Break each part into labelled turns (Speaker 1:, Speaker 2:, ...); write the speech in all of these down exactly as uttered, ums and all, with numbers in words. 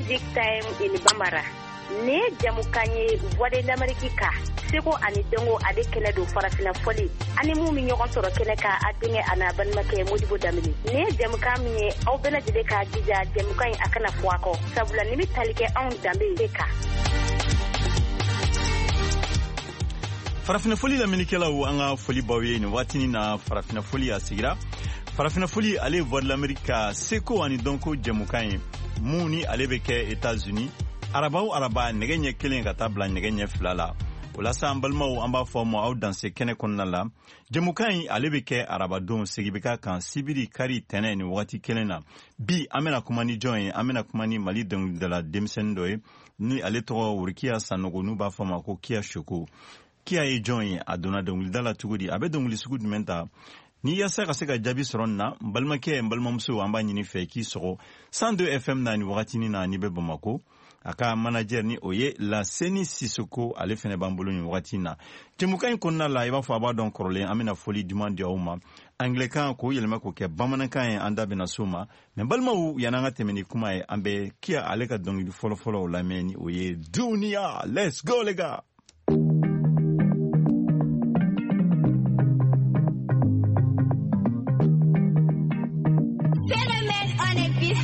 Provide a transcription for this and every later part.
Speaker 1: Music Time in Bambara. Ne jamukan ye Voix de l'Amérique ka seko ani dɔnko ale kɛnɛ don farafinna fɔli ani mun bɛ ɲɔgɔn sɔrɔ kɛnɛ kan a denkɛ a n'a balimakɛ Modibo Danbele. Nin ye jamukan min ye aw bɛɛ lajɛlen k'a jija jamukan in a kana fɔ a kɔ sabula nin bɛ tali kɛ anw danbe de kan.
Speaker 2: Farafinna fɔli lamɛnnikɛlaw, an ka foli b'aw ye nin waatinin na. Farafinna fɔli a sigira. Farafinna fɔli ale ye Voix de l'Amérique ka seko ani dɔnko jɛmukan ye mun ni ale bɛ kɛ États-Unis araba o araba nɛgɛ ɲɛ kelen ka taa bila nɛgɛ ɲɛ fila la. O la sa, an balimaw, an b'a fɔ aw ma aw danse kɛnɛ kɔnɔna la. Jɛmukan in ale bɛ kɛ arabadon, segi bɛ k'a kan sibiri, kari, tɛnɛ nin wagati kelen na. Bi an bɛna kuma ni jɔn ye? An bɛna kuma ni Mali dɔnkilidala denmisɛnnin dɔ ye ni ale tɔgɔ Worokiya Sanogo, n'u b'a fɔ a ma ko Kiya Soko. Kiya ye jɔn ye? A donna dɔnkilida la cogo di? A bɛ dɔnkili sugu jumɛn ta? Ni yaasa ka se ka jaabi sɔrɔ nin na, n balimakɛ, n balimamuso, an b'a ɲini fɛ k'i sɔgɔ cent deux F M na nin wagatinin na n'i bɛ Bamako. A ka manager ni o ye Laseni Sisoko, ale fɛnɛ b'an bolo nin wagati na. Jɛmukan in kɔnɔna la, i b'a fɔ a b'a dɔn kɔrɔlen, an bɛna foli duman di aw ma anglɛkan k'o yɛlɛma k'o kɛ bamanankan ye. An da bɛna s'o ma. Mɛ balimaw, yan'an ka tɛmɛ ni kuma ye, an bɛ Kiya ale ka dɔnkili fɔlɔfɔlɔw lamɛn ni o ye Duniya. Let's go, les gars.
Speaker 3: Phénomène en épice.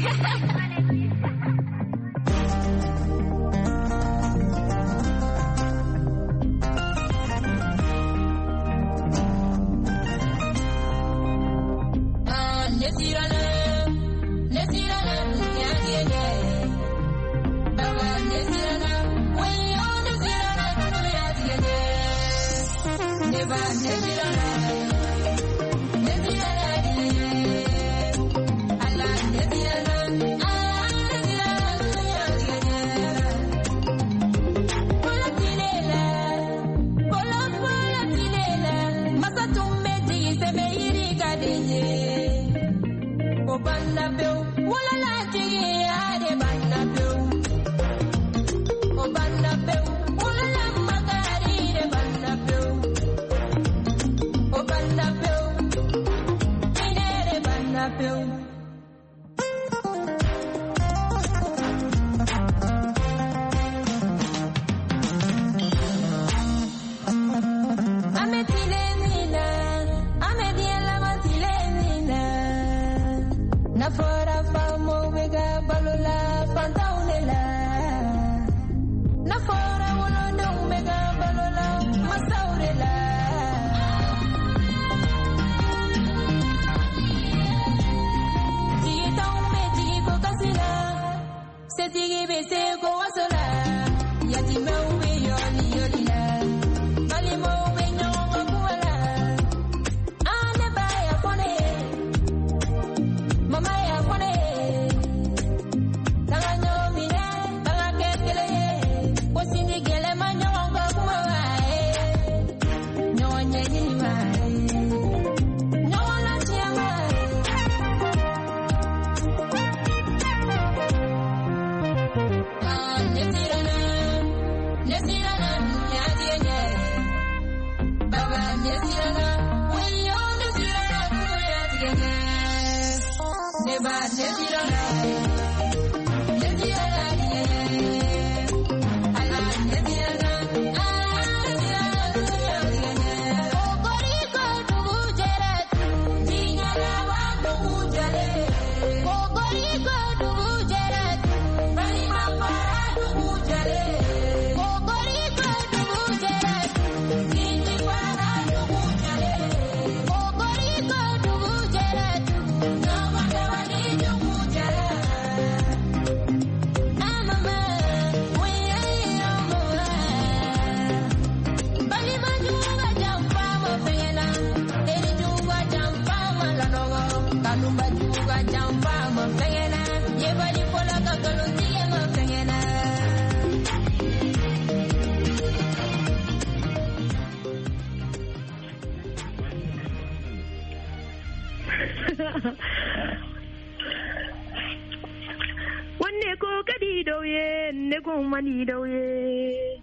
Speaker 1: Wanne ko kadi dɔw ye ne ko man di dɔw ye.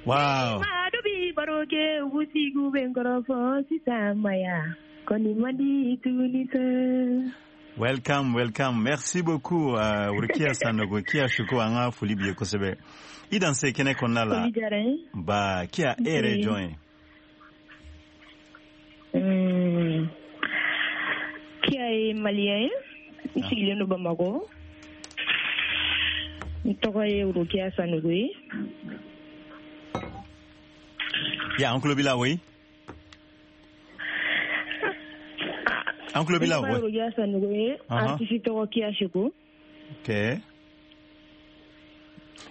Speaker 2: Wow.
Speaker 1: Maa dɔ bi baro kɛ u sigiw bɛ n kɔrɔfɔ sisan maya kɔni man di tuguni sa.
Speaker 2: Welcome, welcome. Merci beaucoup, uh, Rokia Sanogo. Kia Shuko, an ka foli b'i ye kosɛbɛ. I danse kɛnɛ kɔnɔna la.
Speaker 3: Foli diyara n ye.
Speaker 2: Ba, Kia, e yɛrɛ ye jɔn ye?
Speaker 3: Mm. Kia ye malien ye. N sigilen don Bamakɔ. N tɔgɔ ye Rokia Sanogo ye.
Speaker 2: Ya, an tulo b'i la, oui? An tulo b'i la, oui.
Speaker 3: Rokia Sanogo ye. Artiste tɔgɔ Kia Shuko.
Speaker 2: Ok.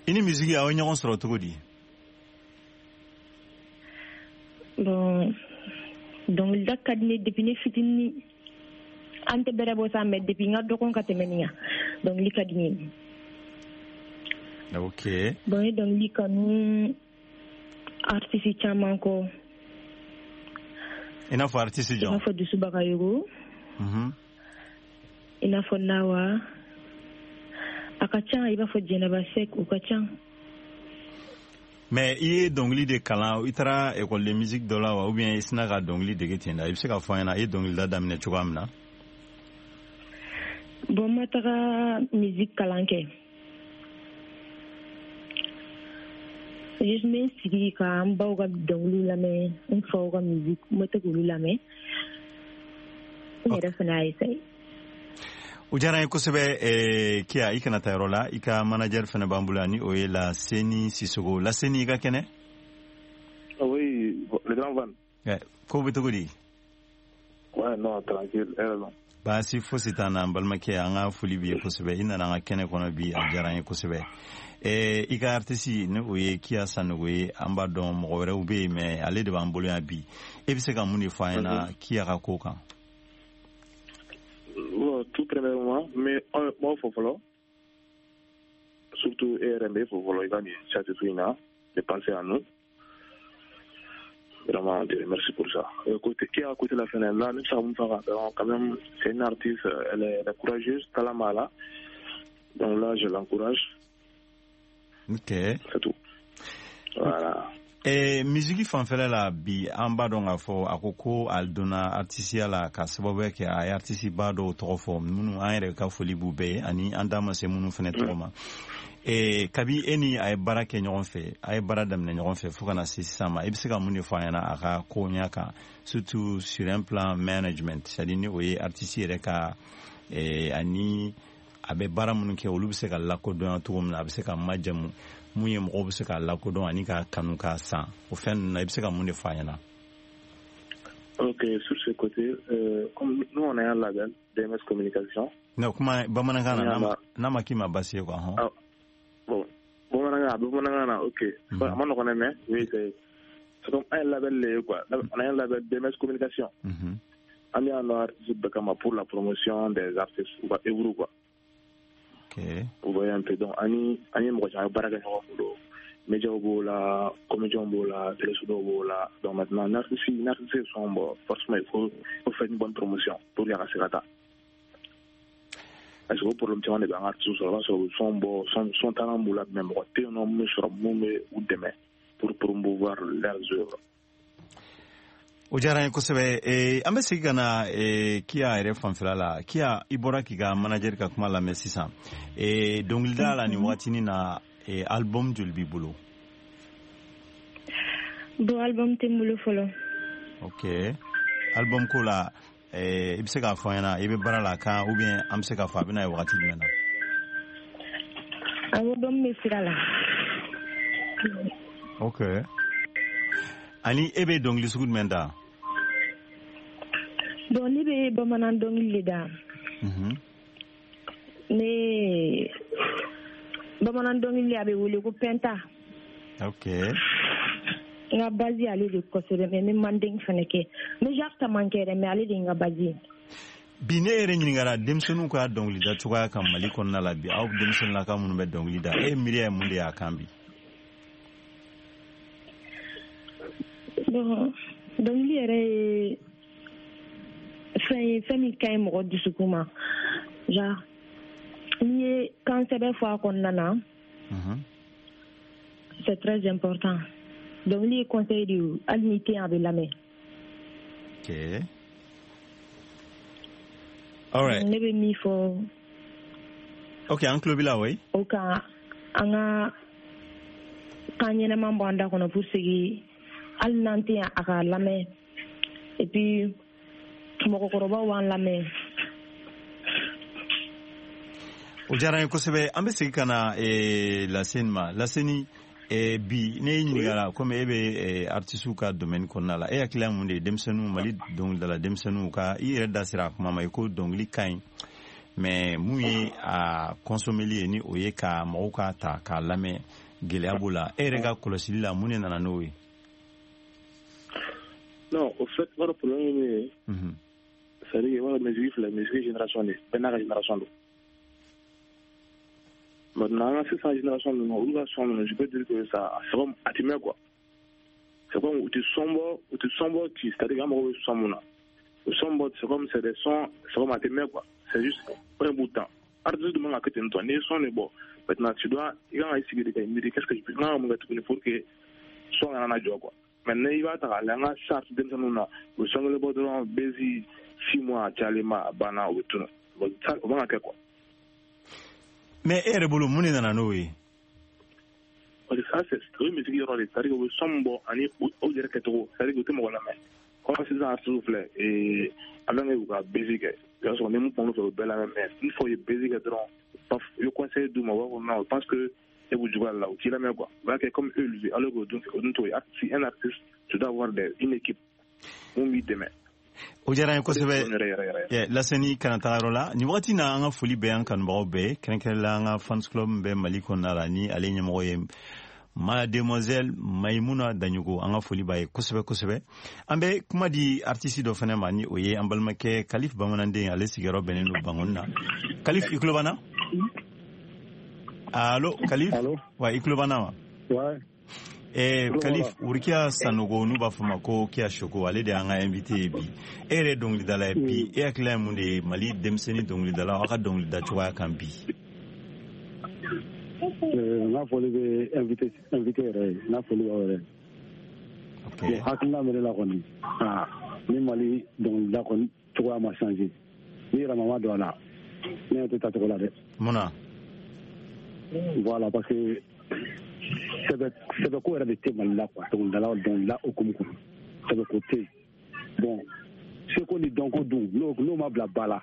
Speaker 2: I ni musique aw ye ɲɔgɔn sɔrɔ cogo di?
Speaker 3: Bon, dɔnkilida ka di ne depuis ne fitinin. An tɛ bɛrɛ bɔ sa, mais depuis n ka dɔgɔn ka tɛmɛ nin kan, dɔnkili ka di n ye.
Speaker 2: Ok.
Speaker 3: Bon, n ye dɔnkili kanu artiste caman kɔ.
Speaker 2: I n'a fɔ artiste jɔn?
Speaker 3: I n'a fɔ Dusu Bagayogo.
Speaker 2: Mhm.
Speaker 3: I n'a fɔ Nawa. A ka ca, i b'a fɔ Jɛnɛba Sɛk, o ka ca.
Speaker 2: Mais i ye dɔnkili de kalan, i taara école de musique dɔ la wa, ou bien i sina ka dɔnkili dege ten da? I bɛ se k'a fɔ an ɲɛna i ye dɔnkilida daminɛ cogoya min na?
Speaker 3: Bon, n ma taga musique kalan kɛ. Juste n bɛ n sigi ka n baw ka dɔnkiliw lamɛn, n faw ka musique, n bɛ to k'olu lamɛn. N yɛrɛ fana y'a essayer.
Speaker 2: O diyara n ye kosɛbɛ. Kia, i kana taa yɔrɔ la, i ka manager fana b'an bolo yan, ni o ye Laseni Sisoko. Laseni, i ka kɛnɛ?
Speaker 4: Oui, le grand Van.
Speaker 2: Ko bɛ cogo di?
Speaker 4: Ouais, non, tranquille, heureusement.
Speaker 2: Baasi fosi t'an na, n balimakɛ, an ka foli b'i ye kosɛbɛ. I nana an ka kɛnɛ kɔnɔ bi, a diyara an ye kosɛbɛ. I ka artiste, ni o ye Kia Sanogo ye, an b'a dɔn mɔgɔ wɛrɛw bɛ yen, mais ale de b'an bolo yan bi. E bɛ se ka mun de fɔ an ɲɛna Kia ka ko kan?
Speaker 4: Bon, tout premièrement, mais moi, faut falloir, surtout R M B, faut falloir, il va de penser à nous. Vraiment, merci pour ça. Côté, qui a côté la fin là, nous savons quand même, c'est une artiste, elle est, elle est courageuse, Talamala. Donc là, je l'encourage.
Speaker 2: Ok.
Speaker 4: C'est tout. Voilà.
Speaker 2: Eh, musique fanfɛla la bi, an b'a dɔn k'a fɔ a ko ko a donna artisiya la ka sababuya kɛ a ye artisi ba dɔw tɔgɔ fɔ, minnu an yɛrɛ ka foli b'u bɛɛ ye, ani an da ma se minnu fana tɔgɔ ma. Eh, kabi e ni a ye baara kɛ ɲɔgɔn fɛ, a ye baara daminɛ ɲɔgɔn fɛ fo ka na se sisan ma, i bɛ se ka mun de fɔ an ɲɛna a ka ko ɲɛ kan, surtout sur un plan management, c'est à dire ni o ye artiste yɛrɛ ka eh, ani a bɛ baara minnu kɛ, olu bɛ se ka lakodɔnya cogo min na, a bɛ se ka majamu mun ye, mɔgɔw bɛ se k'a lakodɔn ani k'a kanu k'a san, o fɛn ninnu na, i bɛ se ka mun de fɔ a ɲɛna?
Speaker 4: Ok, sur ce côté, euh, comme nous on a un label, D M S Communication.
Speaker 2: Non, kuma bamanankan na, n'a ma k'i ma baasi ye quoi. Hɔn.
Speaker 4: Ah, bon, bamanankan, bamanankan na, ok. A ma nɔgɔn dɛ, mais oui, c'est c'est comme un label le quoi. On a un label D M S Communication. An bɛ yan nɔ artiste bɛɛ kama pour la promotion des artistes u ka œuvre quoi.
Speaker 2: Okay.
Speaker 4: Vous voyez un peu, donc ani ani mɔgɔ caman baara kɛ ɲɔgɔn bolo, médiaw b'o la, comédiens b'o la, téléso dɔw b'o la. Donc maintenant l'artiste l'artiste sont bon, forcément il faut il faut faire une bonne promotion pour que a ka se ka taa, parce que o problème caman de bɛ an ka artiste sɔrɔ. O b'a sɔrɔ son bɔ son son talent b'u la, mais mɔgɔ tɛ yen nɔ mun bɛ sɔrɔ mun bɛ u dɛmɛ pour promouvoir leurs œuvres.
Speaker 2: O diyara n ye kosɛbɛ. An bɛ segin ka na Kia yɛrɛ fanfɛla la. Kia, i bɔra k'i ka manager ka kuma lamɛn sisan. Dɔnkilida la nin waatinin na, album joli b'i bolo?
Speaker 3: Bon, album tɛ n bolo fɔlɔ.
Speaker 2: Ok. Album ko la, i bɛ se k'a fɔ an ɲɛna i bɛ baara la kan, ou bien an bɛ se k'a fɔ a bɛ na ye wagati jumɛn na?
Speaker 3: Album bɛ sira la.
Speaker 2: Ok. Ani e bɛ dɔnkili sugu jumɛn da?
Speaker 3: Bon, ne bɛ bamanan dɔnkili de da. Ne bamanan dɔnkili a bɛ wele ko pɛnta.
Speaker 2: Ok.
Speaker 3: N ka base ale de kosɛbɛ, mais n bɛ manden fana kɛ. N bɛ genre caman kɛ dɛ, mais ale de ye n ka base ye.
Speaker 2: Bi ne yɛrɛ ɲininkara denmisɛnninw ka dɔnkilida cogoya kan Mali kɔnɔna la bi, aw denmisɛnninlaka minnu bɛ dɔnkili da, e miiriya ye mun de y'a kan bi?
Speaker 3: Bon, dɔnkili yɛrɛ ye fɛn ye, fɛn min ka ɲi mɔgɔ dusukun ma. Genre n'i ye kan sɛbɛ fɔ a kɔnɔna na, c'est très important. Dɔnkili ye conseil de ye, hali n'i tɛ yen a bɛ lamɛn.
Speaker 2: Ok. All right.
Speaker 3: Ne bɛ min fɔ.
Speaker 2: Ok, an tulo b'i la, oui.
Speaker 3: O kan an ka kan ɲɛnɛman bɔ an da kɔnɔ pour que hali n'an tɛ yan a ka lamɛn et puis mɔgɔkɔrɔbaw b'an lamɛn.
Speaker 2: O diyara n ye kosɛbɛ. An bɛ segin ka na Laseni ma. Laseni, bi ne y'i ɲininka komi e bɛ artisiw ka domaine kɔnɔna la, e hakilila ye mun de ye denmisɛnninw, Mali dɔnkilidala denmisɛnninw ka, i yɛrɛ da sera a kuma ma, i ko dɔnkili ka ɲi, mais mun ye a consommer ye, ni o ye ka mɔgɔw ka ta k'a lamɛn, gɛlɛya b'o la. E yɛrɛ ka kɔlɔsili la, mun de nana n'o ye?
Speaker 4: Non, au fait, wari problème ye min ye, c'est à dire wari musique filɛ, musique génération de bɛɛ n'a ka génération don. Maintenant, an ka sisan génération ninnu, olu ka son ninnu, je peux dire que ça, c'est comme a ti mɛn quoi. C'est comme u ti son bɔ, u ti son bɔ ci, c'est à dire an mago bɛ son mun na. U son bɔ, c'est comme c'est des sons, c'est comme a ti mɛn quoi. C'est juste un bout de temps. Artiste dun man ka kɛ ten tɔ, n'i ye son de bɔ, maintenant tu dois, i kan ka i sigi de ka i miiri, qu'est-ce que je peux, n kan ka mun kɛ tuguni pour que son kana na jɔ quoi. Maintenant i b'a ta k'a lajɛ, an ka sisan denmisɛnninw na, u bɛ son kelen bɔ dɔrɔn, bezi six mois a cayalen ma, a banna, u bɛ tunun. Bon, ça, o man ka kɛ quoi.
Speaker 2: Mais e yɛrɛ bolo, mun de nana n'o ye?
Speaker 4: Parce que ça, c'est o ye musique yɔrɔ de, c'est à dire u bɛ son min bɔ ani u yɛrɛ kɛcogo, c'est à dire u tɛ mɔgɔ lamɛn. Comme sisan artistes filɛ, ee avant que u ka bezi kɛ, i b'a sɔrɔ ni mun kumana u fɛ, u bɛɛ lamɛn, mais une fois u ye bezi kɛ dɔrɔn, paf, i bɛ conseil d'u ma, u b'a fɔ non, je pense que e b'u juguya la, u t'i lamɛn quoi. U b'a kɛ comme eux le alors que o dun o dun t'o ye. Si un artiste, tu dois avoir des une équipe mun b'i dɛmɛ.
Speaker 2: O diyara n ye kosɛbɛ. Laseni, kana taga yɔrɔ la nin wagati na. An ka foli bɛ an kanubagaw bɛɛ, kɛrɛnkɛrɛnla an ka fans club bɛ Mali kɔnɔna la, ni ale ɲɛmɔgɔ ye Mademoiselle Maimuna Daɲogo, an ka foli b'a ye kosɛbɛ kosɛbɛ. An bɛ kuma di artiste dɔ fana ma, ni o ye an balimakɛ Kalif Bamananden, ale sigiyɔrɔ bɛnnen don Bangoni na. Kalif, i tulo b'an na? Allo, Kalif? Wa, i tulo b'an na wa? Eh, Kalif, Wurikiya Sanogo, n'u b'a fɔ ma ko Kiya Soko, ale de y'an ka invité ye bi. E yɛrɛ ye dɔnkilidala ye bi, e hakilila ye mun de ye Mali denmisɛnnin dɔnkilidala, aw ka dɔnkilida cogoya kan bi?
Speaker 5: N ka foli bɛ invité invité yɛrɛ ye, n ka foli b'aw yɛrɛ ye. Hakilina bɛ ne la kɔni, ni Mali dɔnkilida kɔni cogoya ma changer, ni yɛlɛma ma don a la, ne ɲɛ tɛ taa cogo la dɛ.
Speaker 2: Mun na?
Speaker 5: Voilà, parce que sɛbɛ sɛbɛko yɛrɛ de tɛ Mali la quoi, dɔnkilidala dɔnkilida hukumu kɔnɔ, sɛbɛko tɛ yen. Bon, seko ni dɔnko dun, n'o n'o ma bila ba la,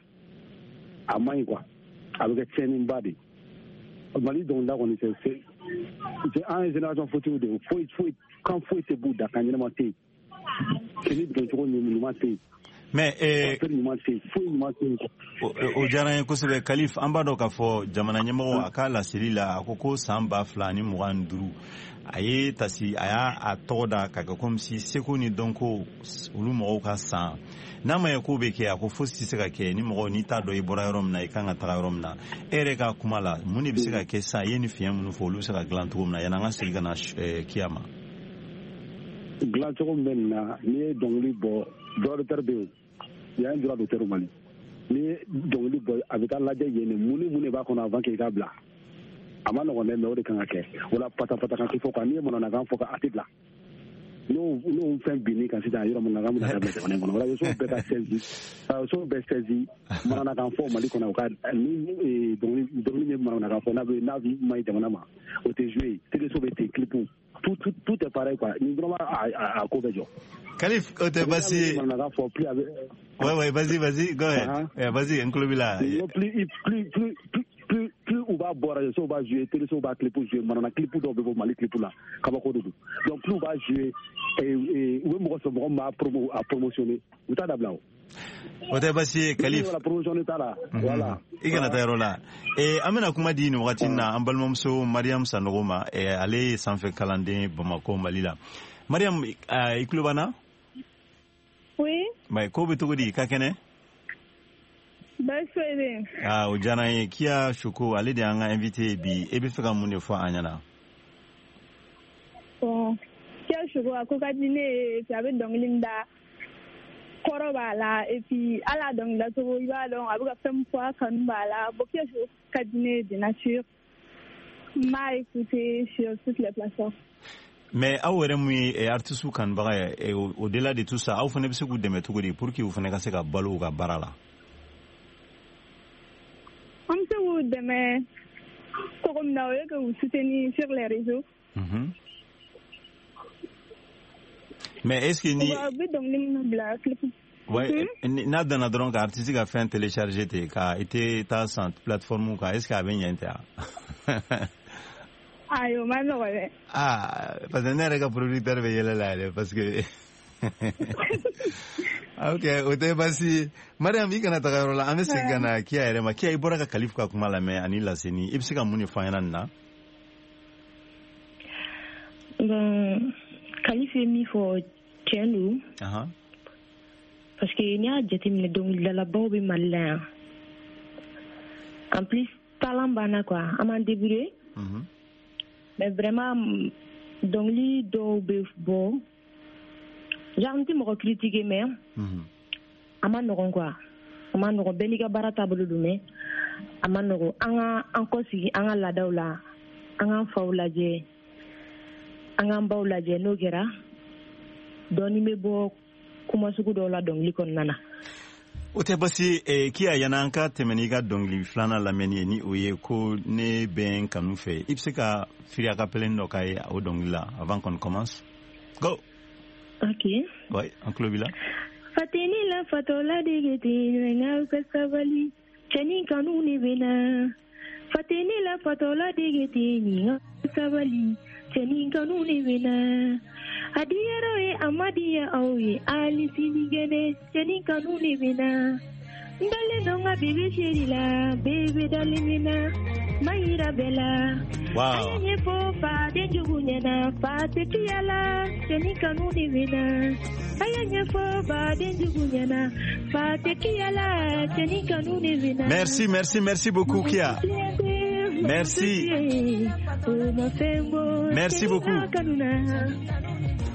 Speaker 5: a man ɲi quoi, a bɛ kɛ tiɲɛniba de ye. Mali dɔnkilida kɔni, c'est c'est an ye génération fautive de ye, foyi foyi kan foyi tɛ b'u da, kan ɲɛnama tɛ yen, fini doncogo ɲuman tɛ yen.
Speaker 2: Mais eh,
Speaker 5: ɲuman tɛ yen, foyi ɲuman tɛ yen.
Speaker 2: O diyara n ye kosɛbɛ, Kalif. An b'a dɔn k'a fɔ jamana ɲɛmɔgɔ a ka laseli la, a ko ko san ba fila ni mugan ni duuru, a ye tasi, a y'a a tɔgɔ da k'a kɛ comme si seko ni dɔnko olu mɔgɔw ka san. N'a ma ye k'o bɛ kɛ, a ko fosi tɛ se ka kɛ ni mɔgɔ n'i t'a dɔn i bɔra yɔrɔ min na, i kan ka taga yɔrɔ min na. E yɛrɛ ka kuma la, mun de bɛ se ka kɛ sisan? I ye nin fiɲɛ minnu fɔ, olu bɛ se ka dilan cogo min na, yanni an ka segin ka na Kiya ma?
Speaker 5: Dilan cogo min bɛ nin na, n'i ye dɔnkili bɔ, droit d'auteur bɛ yen, il y a un droit d'auteur au Mali. N'i ye dɔnkili bɔ, a bɛ taa lajɛ yen de, mun ni mun de b'a kɔnɔ avant k'i k'a bila. A ma nɔgɔn dɛ, mais o de kan ka kɛ. O la patapata kan tɛ fɔ quoi, n'i ye mananakan fɔ a tɛ bila. N'o n'o fɛn binn'i kan sisan, yɔrɔ mananakan bɛna dabila jamana in kɔnɔ. Radio so bɛɛ ka saisi, radio so bɛɛ saisi mananakan fɔ Mali kɔnɔ, u ka ni dɔnkili dɔnkili min mananakan fɔ n'a bɛ n'a man ɲi jamana ma, o tɛ jouer. Télé so bɛ ten, clip tout tout tout est pareil quoi. Ni dɔrɔn a a ko bɛ jɔ.
Speaker 2: Kalif, o tɛ baasi ye. Ouais ouais, vas-y vas-y, go ahead. Uh-huh. Yeah, vas-y, n tulo b'i la.
Speaker 5: Plus plus plus plus plus u b'a bɔ radio so b'a jouer, télé so b'a clip jouer, manana clip dɔw bɛ bɔ Mali clip la, kabako de don. Donc plus u b'a jouer, u bɛ mɔgɔ sɔrɔ mɔgɔ min b'a promo a promotionner, u t'a dabila o.
Speaker 2: O tɛ baasi ye, Kalif.
Speaker 5: Voilà, promotionner t'a la. Voilà.
Speaker 2: I kana taa yɔrɔ la. Eh, an bɛna kuma di nin wagati na an balimamuso Mariam Sanogo ma. Eh, ale ye sanfɛ kalanden Bamakɔ, Mali la. Mariam, i tulo b'an na?
Speaker 6: Oui.
Speaker 2: Mais ko bɛ cogo di, ka kɛnɛ?
Speaker 6: Baasi foyi tɛ yen.
Speaker 2: Ah, o diyara n ye. Kiya Soko, ale de y'an ka invité ye bi. E bɛ fɛ ka mun de fɔ an ɲɛna?
Speaker 6: Bon, Kiya Soko, a ko ka di ne ye, a bɛ dɔnkili min da, kɔrɔ b'a la, et puis hali a dɔnkilidacogo, i b'a dɔn a bɛ ka fɛn min fɔ, a kanu b'a la. Bon, Kiya Soko ka di ne ye de nature. N b'a écouter sur toutes les plateformes.
Speaker 2: Mais aw yɛrɛ mun ye artiste kanubaga ye, au-delà de tout ça, aw fana bɛ se k'u dɛmɛ cogo di pour que u fana ka se ka balo u ka baara la?
Speaker 6: An bɛ se k'u dɛmɛ cogo min na, o ye k'u soutenir sur les réseaux.
Speaker 2: Mm-hmm. Mais est-ce que ni
Speaker 6: u bɛ dɔnkili minnu bila clip.
Speaker 2: Ouais, n'a danna dɔrɔn ka artiste ka fɛn télécharger ten ka i tɛ taa san plateforme kan, est-ce que a bɛ ɲɛ tɛ wa?
Speaker 6: Ayi, o ma nɔgɔn dɛ.
Speaker 2: Ah, parce que ne yɛrɛ ka producteur bɛ yɛlɛ la yɛrɛ parce que ok, o tɛ baasi ye. Mariam, i kana taga yɔrɔ la, an bɛ segin ka na Kia yɛrɛ ma. Kia, i bɔra ka Kalifu ka kuma lamɛn ani Laseni, i bɛ se ka mun de fɔ an ɲɛna nin na?
Speaker 3: Bon, Kalifu ye min fɔ tiɲɛ don. Parce que n'i y'a jateminɛ, dɔnkilidalabaw bɛ Mali la yan. En plus, talent b'an na quoi, an b'an débrouiller. Mais vraiment, dɔnkili dɔw bɛ bɔ, genre n tɛ mɔgɔ critiquer, mais a ma nɔgɔn quoi, a ma nɔgɔn. Bɛɛ n'i ka baara taabolo don, mais a ma nɔgɔn. An ka an kɔsegin an ka laadaw la, an k'an faw lajɛ, an k'an baw lajɛ. N'o kɛra, dɔɔnin bɛ bɔ kuma sugu dɔw la dɔnkili kɔnɔna na.
Speaker 2: O tɛ basi ye. Kia, yan'an an ka tɛmɛ n'i ka dɔnkili filanan lamɛnni ye, ni o ye ko ne bɛ n kanu fɛ, i bɛ se ka firi a ka pɛlɛn dɔ k'a ye o dɔnkili la avant qu'on commence? Go.
Speaker 3: Ok.
Speaker 2: Ouais, an tulo b'i la.
Speaker 3: Fateni la fatɔla dege ten, n'aw ka sabali, cɛnin kanu ne bɛ na. Fateni la fatɔla dege ten, n'aw ka sabali, cɛnin kanu ne bɛ na. A diyara ye, a ma diya aw ye, hali sini gɛnɛ, cɛnin kanu ne bɛ na. N dalen don n ka bébé chéri la, bébé dalen bɛ na, ma yira bɛɛ la.
Speaker 2: Wow.
Speaker 3: A ye ɲɛfɔ faden jugu ɲɛna, fa tɛ tiya la, cɛnin kanu de bɛ na. A ye ɲɛfɔ baden jugu ɲɛna, fa tɛ tiya la, cɛnin kanu de bɛ na.
Speaker 2: Merci, merci, merci beaucoup, Kia. Merci. Merci beaucoup.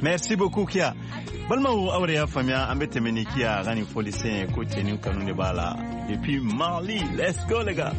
Speaker 2: Merci beaucoup, Kia. Balimaw, aw de y'a faamuya, an bɛ tɛmɛ ni Kia a ka nin fɔlisen ye ko cɛnin kanu de b'a la. Depuis Mali, let's go les gars.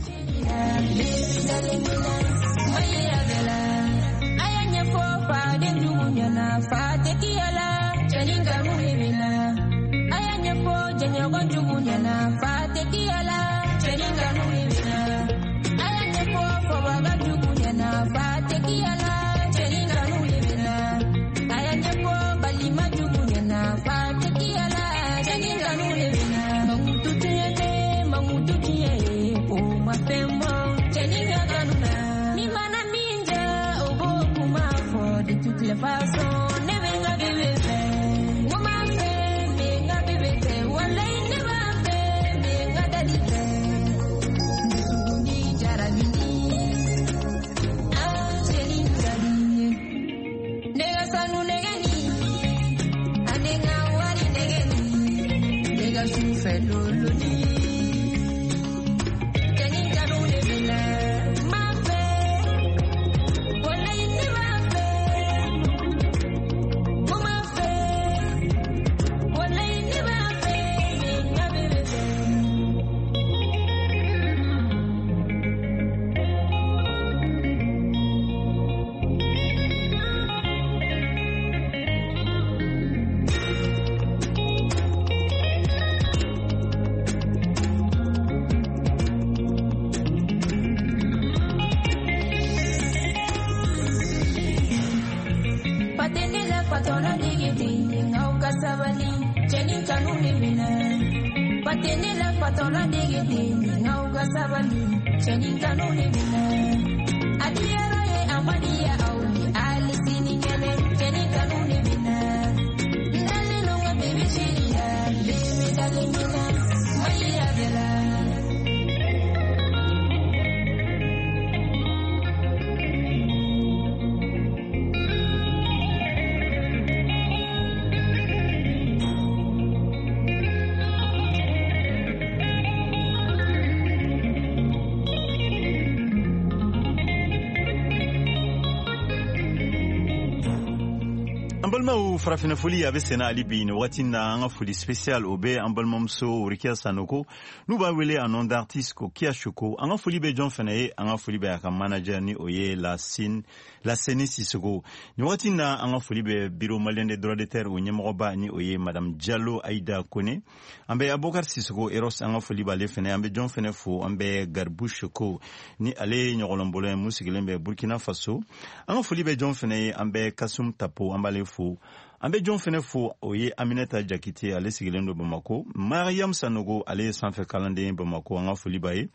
Speaker 2: Balimaw, farafinna foli a bɛ senna hali bi nin wagati na. An ka foli spécial o bɛ an balimamuso Rikiya Sanoko, n'u b'a wele en nom d'artiste ko Kia Choco. An ka foli bɛ jɔn fana ye? An ka foli bɛ a ka manager, ni o ye Lasine Laseni Sisoko nin wagati na. An ka foli bɛ Bureau malien des droits d'auteur, o ɲɛmɔgɔba, ni o ye Madame Diallo Aïda Kone. An bɛ Abubakar Sisoko Eros, an ka foli b'ale fana. An bɛ jɔn fana fo? An bɛ Garibu Choco, ni ale ye ɲɔgɔlɔnbɔla ye mun sigilen bɛ Burkina Faso. An ka foli bɛ jɔn fana ye? An bɛ Kasum Tapo, an b'ale fo. An bɛ jɔn fɛnɛ fo? O ye Aminata Jakite, ale sigilen don Bamako. Mariam Sanogo, ale ye sanfɛ kalanden ye Bamako, an ka foli b'a ye.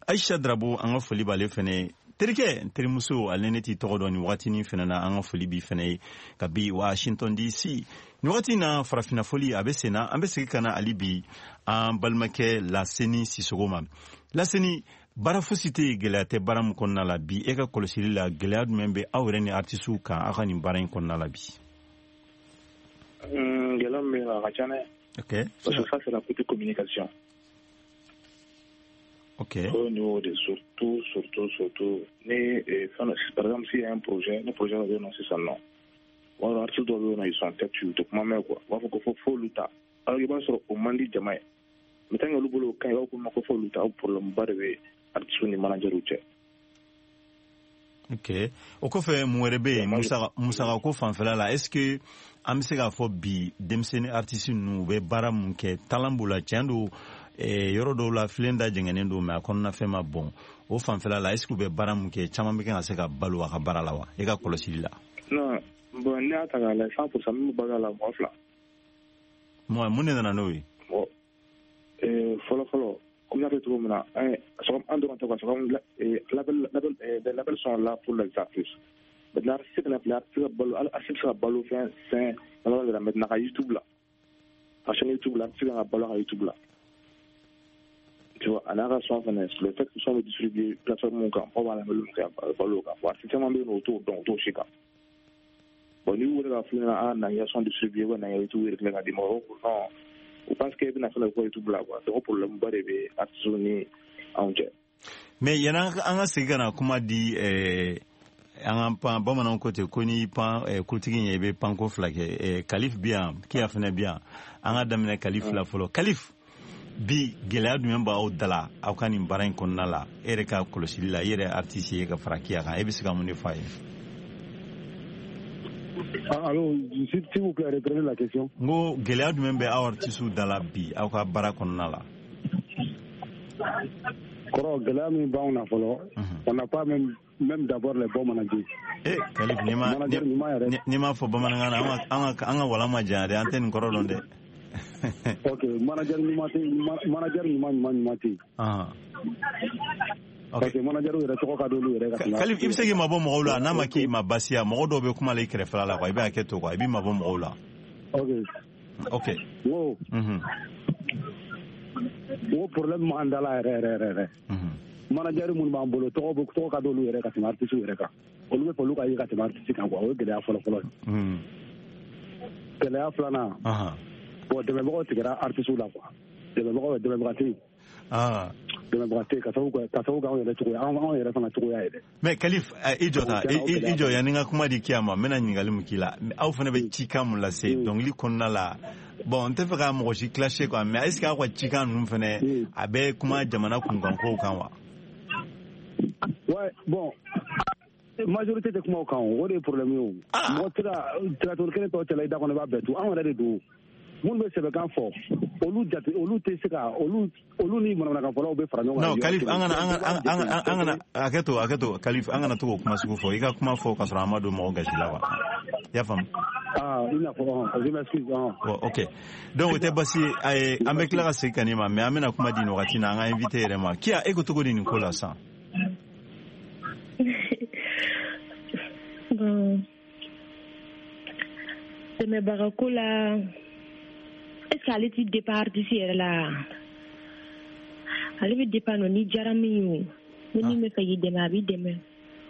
Speaker 2: Aisha Drabo, an ka foli b'ale fɛnɛ ye. Terikɛ n terimuso, ale ne t'i tɔgɔ dɔn nin wagatinin fɛnɛ na, an ka foli b'i fɛnɛ ye ka bi Washington D C nin wagati na. Farafinna foli a bɛ sen na. An bɛ segin ka na hali bi an balimakɛ Laseni Sisogo ma. Laseni, baara fosi tɛ yen gɛlɛya tɛ baara min kɔnɔna la bi. E ka kɔlɔsili la, gɛlɛya jumɛn bɛ aw yɛrɛ ni artisiw kan aw ka nin baara in kɔnɔna la bi?
Speaker 4: Gɛlɛya min bɛ yen, a ka ca dɛ.
Speaker 2: Ok.
Speaker 4: Parce que ça, c'est la petite communication.
Speaker 2: Ok.
Speaker 4: Au niveau de surtout, surtout, surtout, ni, par exemple, s'il y a un projet, le projet va venir sisan nɔ. Wala artiste dɔw bɛ yen nɔ, ils sont têtus, u tɛ kuma mɛn quoi. U b'a fɔ ko fo f'olu ta. Alors i b'a sɔrɔ o man di jama ye. Mais tant que olu bolo o ka ɲi, i b'a fɔ ko f'olu ta, o problème ba de bɛ artiste ni manager cɛ.
Speaker 2: Ok, o kɔfɛ, mun wɛrɛ bɛ yen musaka musakako fanfɛla la? Est ce que an bɛ se k'a fɔ bi denmisɛnnin artiste ninnu, u bɛ baara mun kɛ, talent b'u la? Tiɲɛ don, yɔrɔ dɔw la filen da jɛngɛnnen don, mais a kɔnɔna fɛn ma bɔn o fanfɛla la. Est ce que u bɛ baara mun kɛ, caman bɛ kan ka se ka balo a ka baara la wa, e ka kɔlɔsili la?
Speaker 4: Non, bon, n'i y'a ta k'a lajɛ, cent pour cent min bɛ balo a la, mɔgɔ fila.
Speaker 2: Mun mun de nana n'o ye?
Speaker 4: Bon, fɔlɔ fɔlɔ, comme y'a fɔ cogo min na, an dɔrɔn tɛ quoi, c'est comme label label les labels sont là pour les artistes. Maintenant, artiste fana filɛ, artiste ka balo, artiste bɛ se ka balo fɛn fɛn dama de la. Maintenant, ka YouTube la, ka chaîne YouTube la, artiste kan ka balo a ka YouTube la. Tu vois, a n'a ka son fana, le fait que son bɛ distribuer plateforme kan, mɔgɔw b'a lamɛn min kɛ, a bɛ balo o kan. Bon, artiste caman bɛ yen nɔ, u t'o dɔn, u t'o si kan. Bon, n'i y'u wele k'a f'u ɲɛna, ah, na n ka son distribuer, ou na n ka YouTube yɛrɛ ka d'i ma, o non, u pense que e bɛna fɛn dɔ kɛ YouTube la quoi. Donc problème ba de bɛ artiste ni anw cɛ.
Speaker 2: Mais yanni an ka segin ka na kuma di eh, an ka pan, bamananw ko ten ko n'i pan eh, kotigi ɲɛ, i bɛ panko fila kɛ. eh, Kalif bi yan, Kiya fana bi yan. An ka daminɛ Kalif la fɔlɔ. Kalif, bi gɛlɛya jumɛn b'aw da la aw ka nin baara in kɔnɔna la? E yɛrɛ ka kɔlɔsili la, i yɛrɛ artiste ye ka fara Kiya kan, e bɛ se ka mun de fɔ a ye?
Speaker 5: Ah, allô, s'il vous plaît, reprenez la question.
Speaker 2: N ko gɛlɛya jumɛn bɛ aw artiste da la bi aw ka baara kɔnɔna la?
Speaker 5: Kɔrɔ, gɛlɛya min b'anw na fɔlɔ, on n'a pas même, même d'abord les bons managers.
Speaker 2: Eh, Kalif, n'i ma
Speaker 5: Manager ɲuman yɛrɛ.
Speaker 2: n'i m'a fɔ bamanankan na, an ka an ka walan ma janya dɛ, an tɛ nin kɔrɔ dɔn dɛ.
Speaker 5: Ok, manager ɲuman tɛ, manager ɲuman ɲuman ɲuman tɛ yen. Parce que manager yɛrɛ tɔgɔ ka d'olu yɛrɛ ka tɛmɛ.
Speaker 2: Kalif, i bɛ se k'i mabɔ mɔgɔw la, n'a ma k'i ma baasi ye. Mɔgɔ dɔw bɛ kuma la i kɛrɛfɛla la quoi, i bɛ hakɛ to quoi, i b'i mabɔ mɔgɔw la.
Speaker 5: Ok.
Speaker 2: Ok.
Speaker 5: N ko.
Speaker 2: N
Speaker 5: ko problème b'an da la yɛrɛ yɛrɛ yɛrɛ yɛrɛ. Manager minnu b'an bolo, tɔgɔ bɛ tɔgɔ ka d'olu yɛrɛ ka tɛmɛ artiste yɛrɛ kan. Olu bɛ fɛ olu ka ye ka tɛmɛ artiste kan quoi, o ye gɛlɛya fɔlɔ fɔlɔ ye. Gɛlɛya filanan. Bon, dɛmɛbagaw tigɛra artiste la quoi. Dɛmɛbagaw, dɛmɛbaga tɛ yen. Dɛmɛbaga tɛ yen ka sababu kɛ ka sababu kɛ anw yɛrɛ cogoya, anw anw yɛrɛ fana cogoya ye dɛ.
Speaker 2: Mais Kalif, i jɔ ta, i jɔ yanni n ka kuma di Kiya ma, n bɛna ɲininkali min k'i la. Aw fana bɛ cikan mun lase dɔnkili kɔnɔna la? Bon, n tɛ fɛ ka mɔgɔ si clasher quoi, mais est ce que aw ka cikan ninnu fana, a bɛ kuma jamana kunkankow kan wa?
Speaker 5: Ouais, bon, majorité tɛ kuma o kan, o de ye problème ye o. Mɔgɔ tɛ ka tiratori kelen tɔ cɛla i da kɔnɔ, i b'a bɛɛ tu. Anw yɛrɛ de don. Minnu bɛ sɛbɛkan fɔ, olu jate, olu tɛ se ka olu olu ni manamanakan fɔlaw bɛ fara ɲɔgɔn kan.
Speaker 2: Non, Kalif, an kana an kana an kana hakɛ to, hakɛ to Kalif, an kana to k'o kuma sugu fɔ. I ka kuma fɔ ka sɔrɔ an ma don mɔgɔ gasi la quoi. I y'a faamu?
Speaker 5: Ah, i n'a fɔ, je m'excuse.
Speaker 2: Bon, ok. Donc o tɛ basi ye, an bɛ tila ka segin ka n'i ma, mais an bɛna kuma di nin wagati na an ka invité yɛrɛ ma. Kiya, e ko cogo di nin ko la sisan?
Speaker 3: Bon, dɛmɛbaga ko la, est-ce que ale ti dépend artiste yɛrɛ la? Ale bɛ dépend nɔ ni diyara min ye o. Ni min bɛ fɛ k'i dɛmɛ, a b'i dɛmɛ.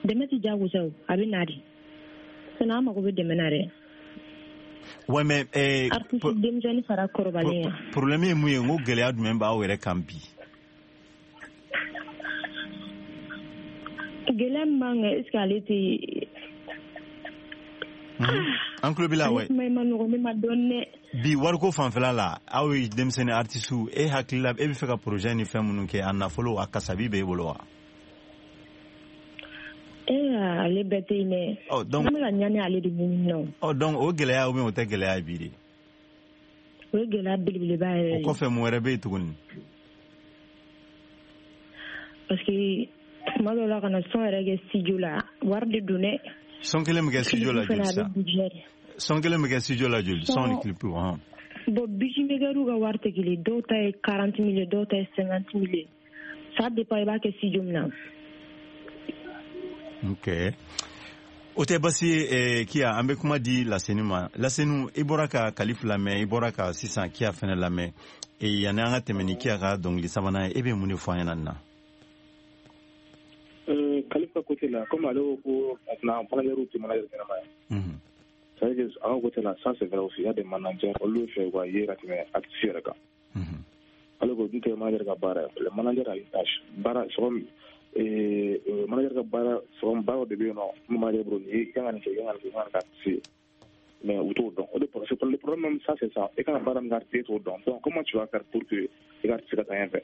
Speaker 3: Dɛmɛ ti diyagosa o, a bɛ na de. Sinon an mago bɛ dɛmɛ na dɛ.
Speaker 2: Ouais, mais eh,
Speaker 3: artiste denmisɛnnin fara kɔrɔbalen yan.
Speaker 2: Problème ye mun ye? N ko gɛlɛya jumɛn b'aw yɛrɛ kan bi?
Speaker 3: Gɛlɛya min b'an kan, est-ce que ale tɛ
Speaker 2: An tulo b'i la ouais.
Speaker 3: Kuma in ma nɔgɔn ne ma dɔɔni dɛ.
Speaker 2: Bi wariko fanfɛla la, aw ye denmisɛnnin artiste, e hakili la, e bɛ fɛ ka projet ni fɛn minnu kɛ, a nafolo a kasabi b'e bolo wa?
Speaker 3: Eh, ale bɛɛ tɛ yen dɛ.
Speaker 2: Ɔ donc
Speaker 3: an bɛ ka ɲani ale de ɲini nɔ.
Speaker 2: Ɔ donc o gɛlɛya ou bien o tɛ gɛlɛya ye bi de?
Speaker 3: O ye gɛlɛya belebeleba yɛrɛ ye.
Speaker 2: O kɔfɛ mun wɛrɛ bɛ yen tuguni?
Speaker 3: Parce que tuma dɔw la ka na son yɛrɛ kɛ studio la, wari de don dɛ.
Speaker 2: Son kelen bɛ kɛ studio la joli sa? Son kelen bɛ kɛ studio la joli? Son ni clip hɔn.
Speaker 3: Bon, beatmakerw ka wari tɛ kelen, dɔw ta ye quarante mille, dɔw ta ye cinquante mille. Ça dépend i b'a kɛ studio min na.
Speaker 2: Ok. O tɛ basi ye Kia, an bɛ kuma di Laseni ma. Laseni, i bɔra ka Kalif lamɛn, i bɔra ka sisan Kia fɛnɛ lamɛn. Yanni an ka tɛmɛ ni Kia ka dɔnkili sabanan ye, e bɛ mun de fɔ an ɲɛna nin na?
Speaker 4: Kalif ka côté la, comme ale ko ko maintenant manager tɛ manager ɲɛnama ye. C'est-à-dire que a ka côté la, ça c'est vrai aussi, il y a des managers olu bɛ fɛ u ka ye ka tɛmɛ artiste yɛrɛ kan. Ale ko dun tɛ manager ka baara ye. Le manager a une tâche. Baara c'est comme manager ka baara, c'est comme baara de bɛ yen nɔ, mun manager bolo nin ye, i kan ka nin kɛ, i kan ka nin kɛ, i kan ka nin kɛ artiste ye. Mais u t'o dɔn. O de problème, le problème même ça c'est ça. I kan ka baara min kɛ artiste ye, e t'o dɔn. Donc comment tu vas faire pour que i ka artiste ka taa ɲɛfɛ?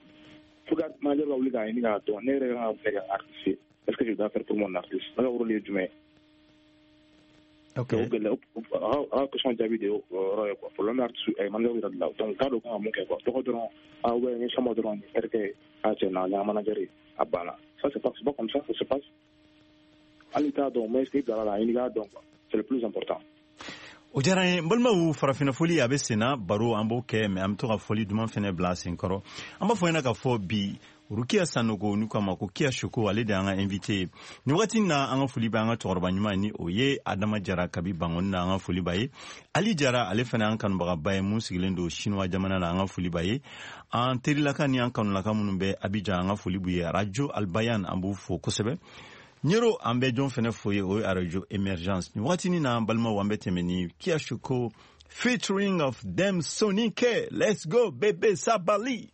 Speaker 4: Faut que manager ka wuli k'a ɲini k'a dɔn ne yɛrɛ kan ka kɛ artiste ye. Est-ce que je dois faire pour mon artiste? Ne ka rôle ye jumɛn ye?
Speaker 2: Ok.
Speaker 4: O gɛlɛya, a ka question jaabi de o yɔrɔ ye quoi. Problème artiste manager yɛrɛ de la. Donc u t'a dɔn kan ka mun kɛ quoi. Tɔgɔ dɔrɔn, ah ouais, n ye sama dɔrɔn, nin terikɛ, ah cɛ na, n ye manager ye, a banna. Ça c'est pas, c'est pas comme ça ça se passe. Hali t'a dɔn, mais est-ce que i bilala la, a ɲini k'a dɔn quoi. C'est le plus important.
Speaker 2: O diyara n ye n balimaw, farafinna foli a bɛ senna, baro an b'o kɛ, mais an bɛ to ka foli duman fɛnɛ bila a sen kɔrɔ. An b'a fɔ ɲɛna k'a fɔ bi Rukiya Sanogo, n'u k'a ma ko Kia Shoko, ale de y'an ka invité ye nin wagati in na. An ka foli bɛ an ka cɛkɔrɔba ɲuman ni o ye Adama Jara kabi Bangoni na, an ka foli b'a ye. Ali Jara, ale fana an kanubagaba ye mun sigilen don Chinois jamana na, an ka foli b'a ye. An terilaka ni an kanulaka minnu bɛ Abidjan, an ka foli b'u ye. Radio Albayan, an b'u fo kosɛbɛ. Ɲero, an bɛ jɔn fɛnɛ fo ye, o ye Radio Emergence. Nin wagati na, an balimaw, an bɛ tɛmɛ ni Kia Shoko featuring of Dem Sonike. Let's go bébé Sabali.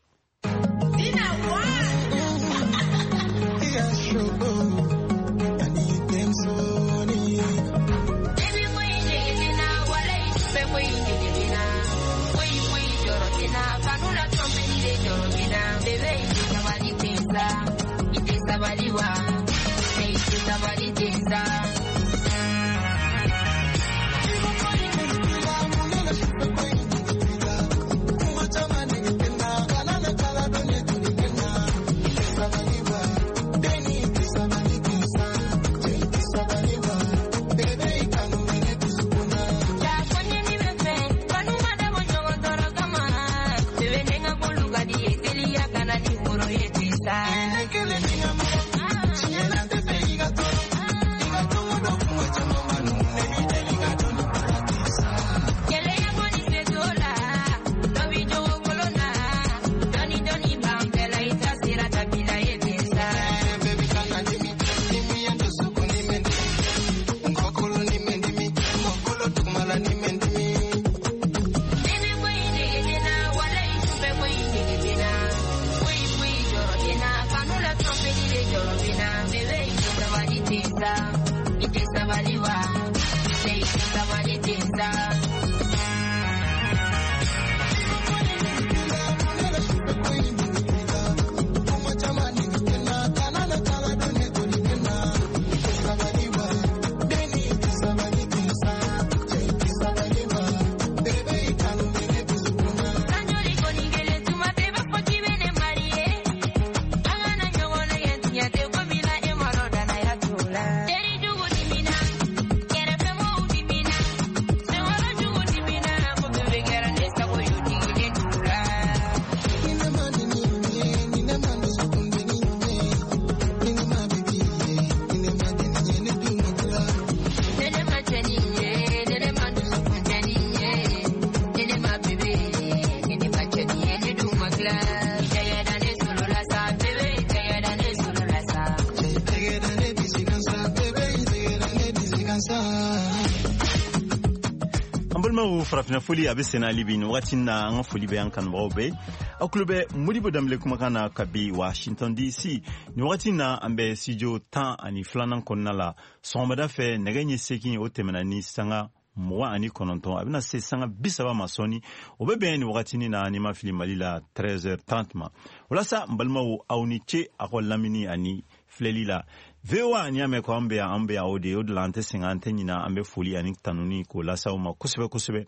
Speaker 2: Farafinna foli a bɛ senna hali bi nin wagati na, an ka foli bɛ an kanubagaw bɛɛ. Aw tulo bɛ Modibo Danbele kumakan na kabi Washington D C. Nin wagati na, an bɛ studio tan ani filanan kɔnɔna la. Sɔgɔmada fɛ nɛgɛ ɲɛ seegin o tɛmɛna ni sanga mugan ani kɔnɔntɔn, a bɛna se sanga bi saba ma sɔɔni. O bɛ bɛn nin wagatinin na, n'i ma fili, Mali la treize heures trente ma. O la sa, n balimaw, aw ni ce aw ka lamini ani filɛli la. V O A, n'i y'a mɛn ko an bɛ yan, an bɛ yan o de ye. O de la an tɛ sɛgɛn, an tɛ ɲinɛ, an bɛ foli ani tanuni k'o lase aw ma kosɛbɛ kosɛbɛ.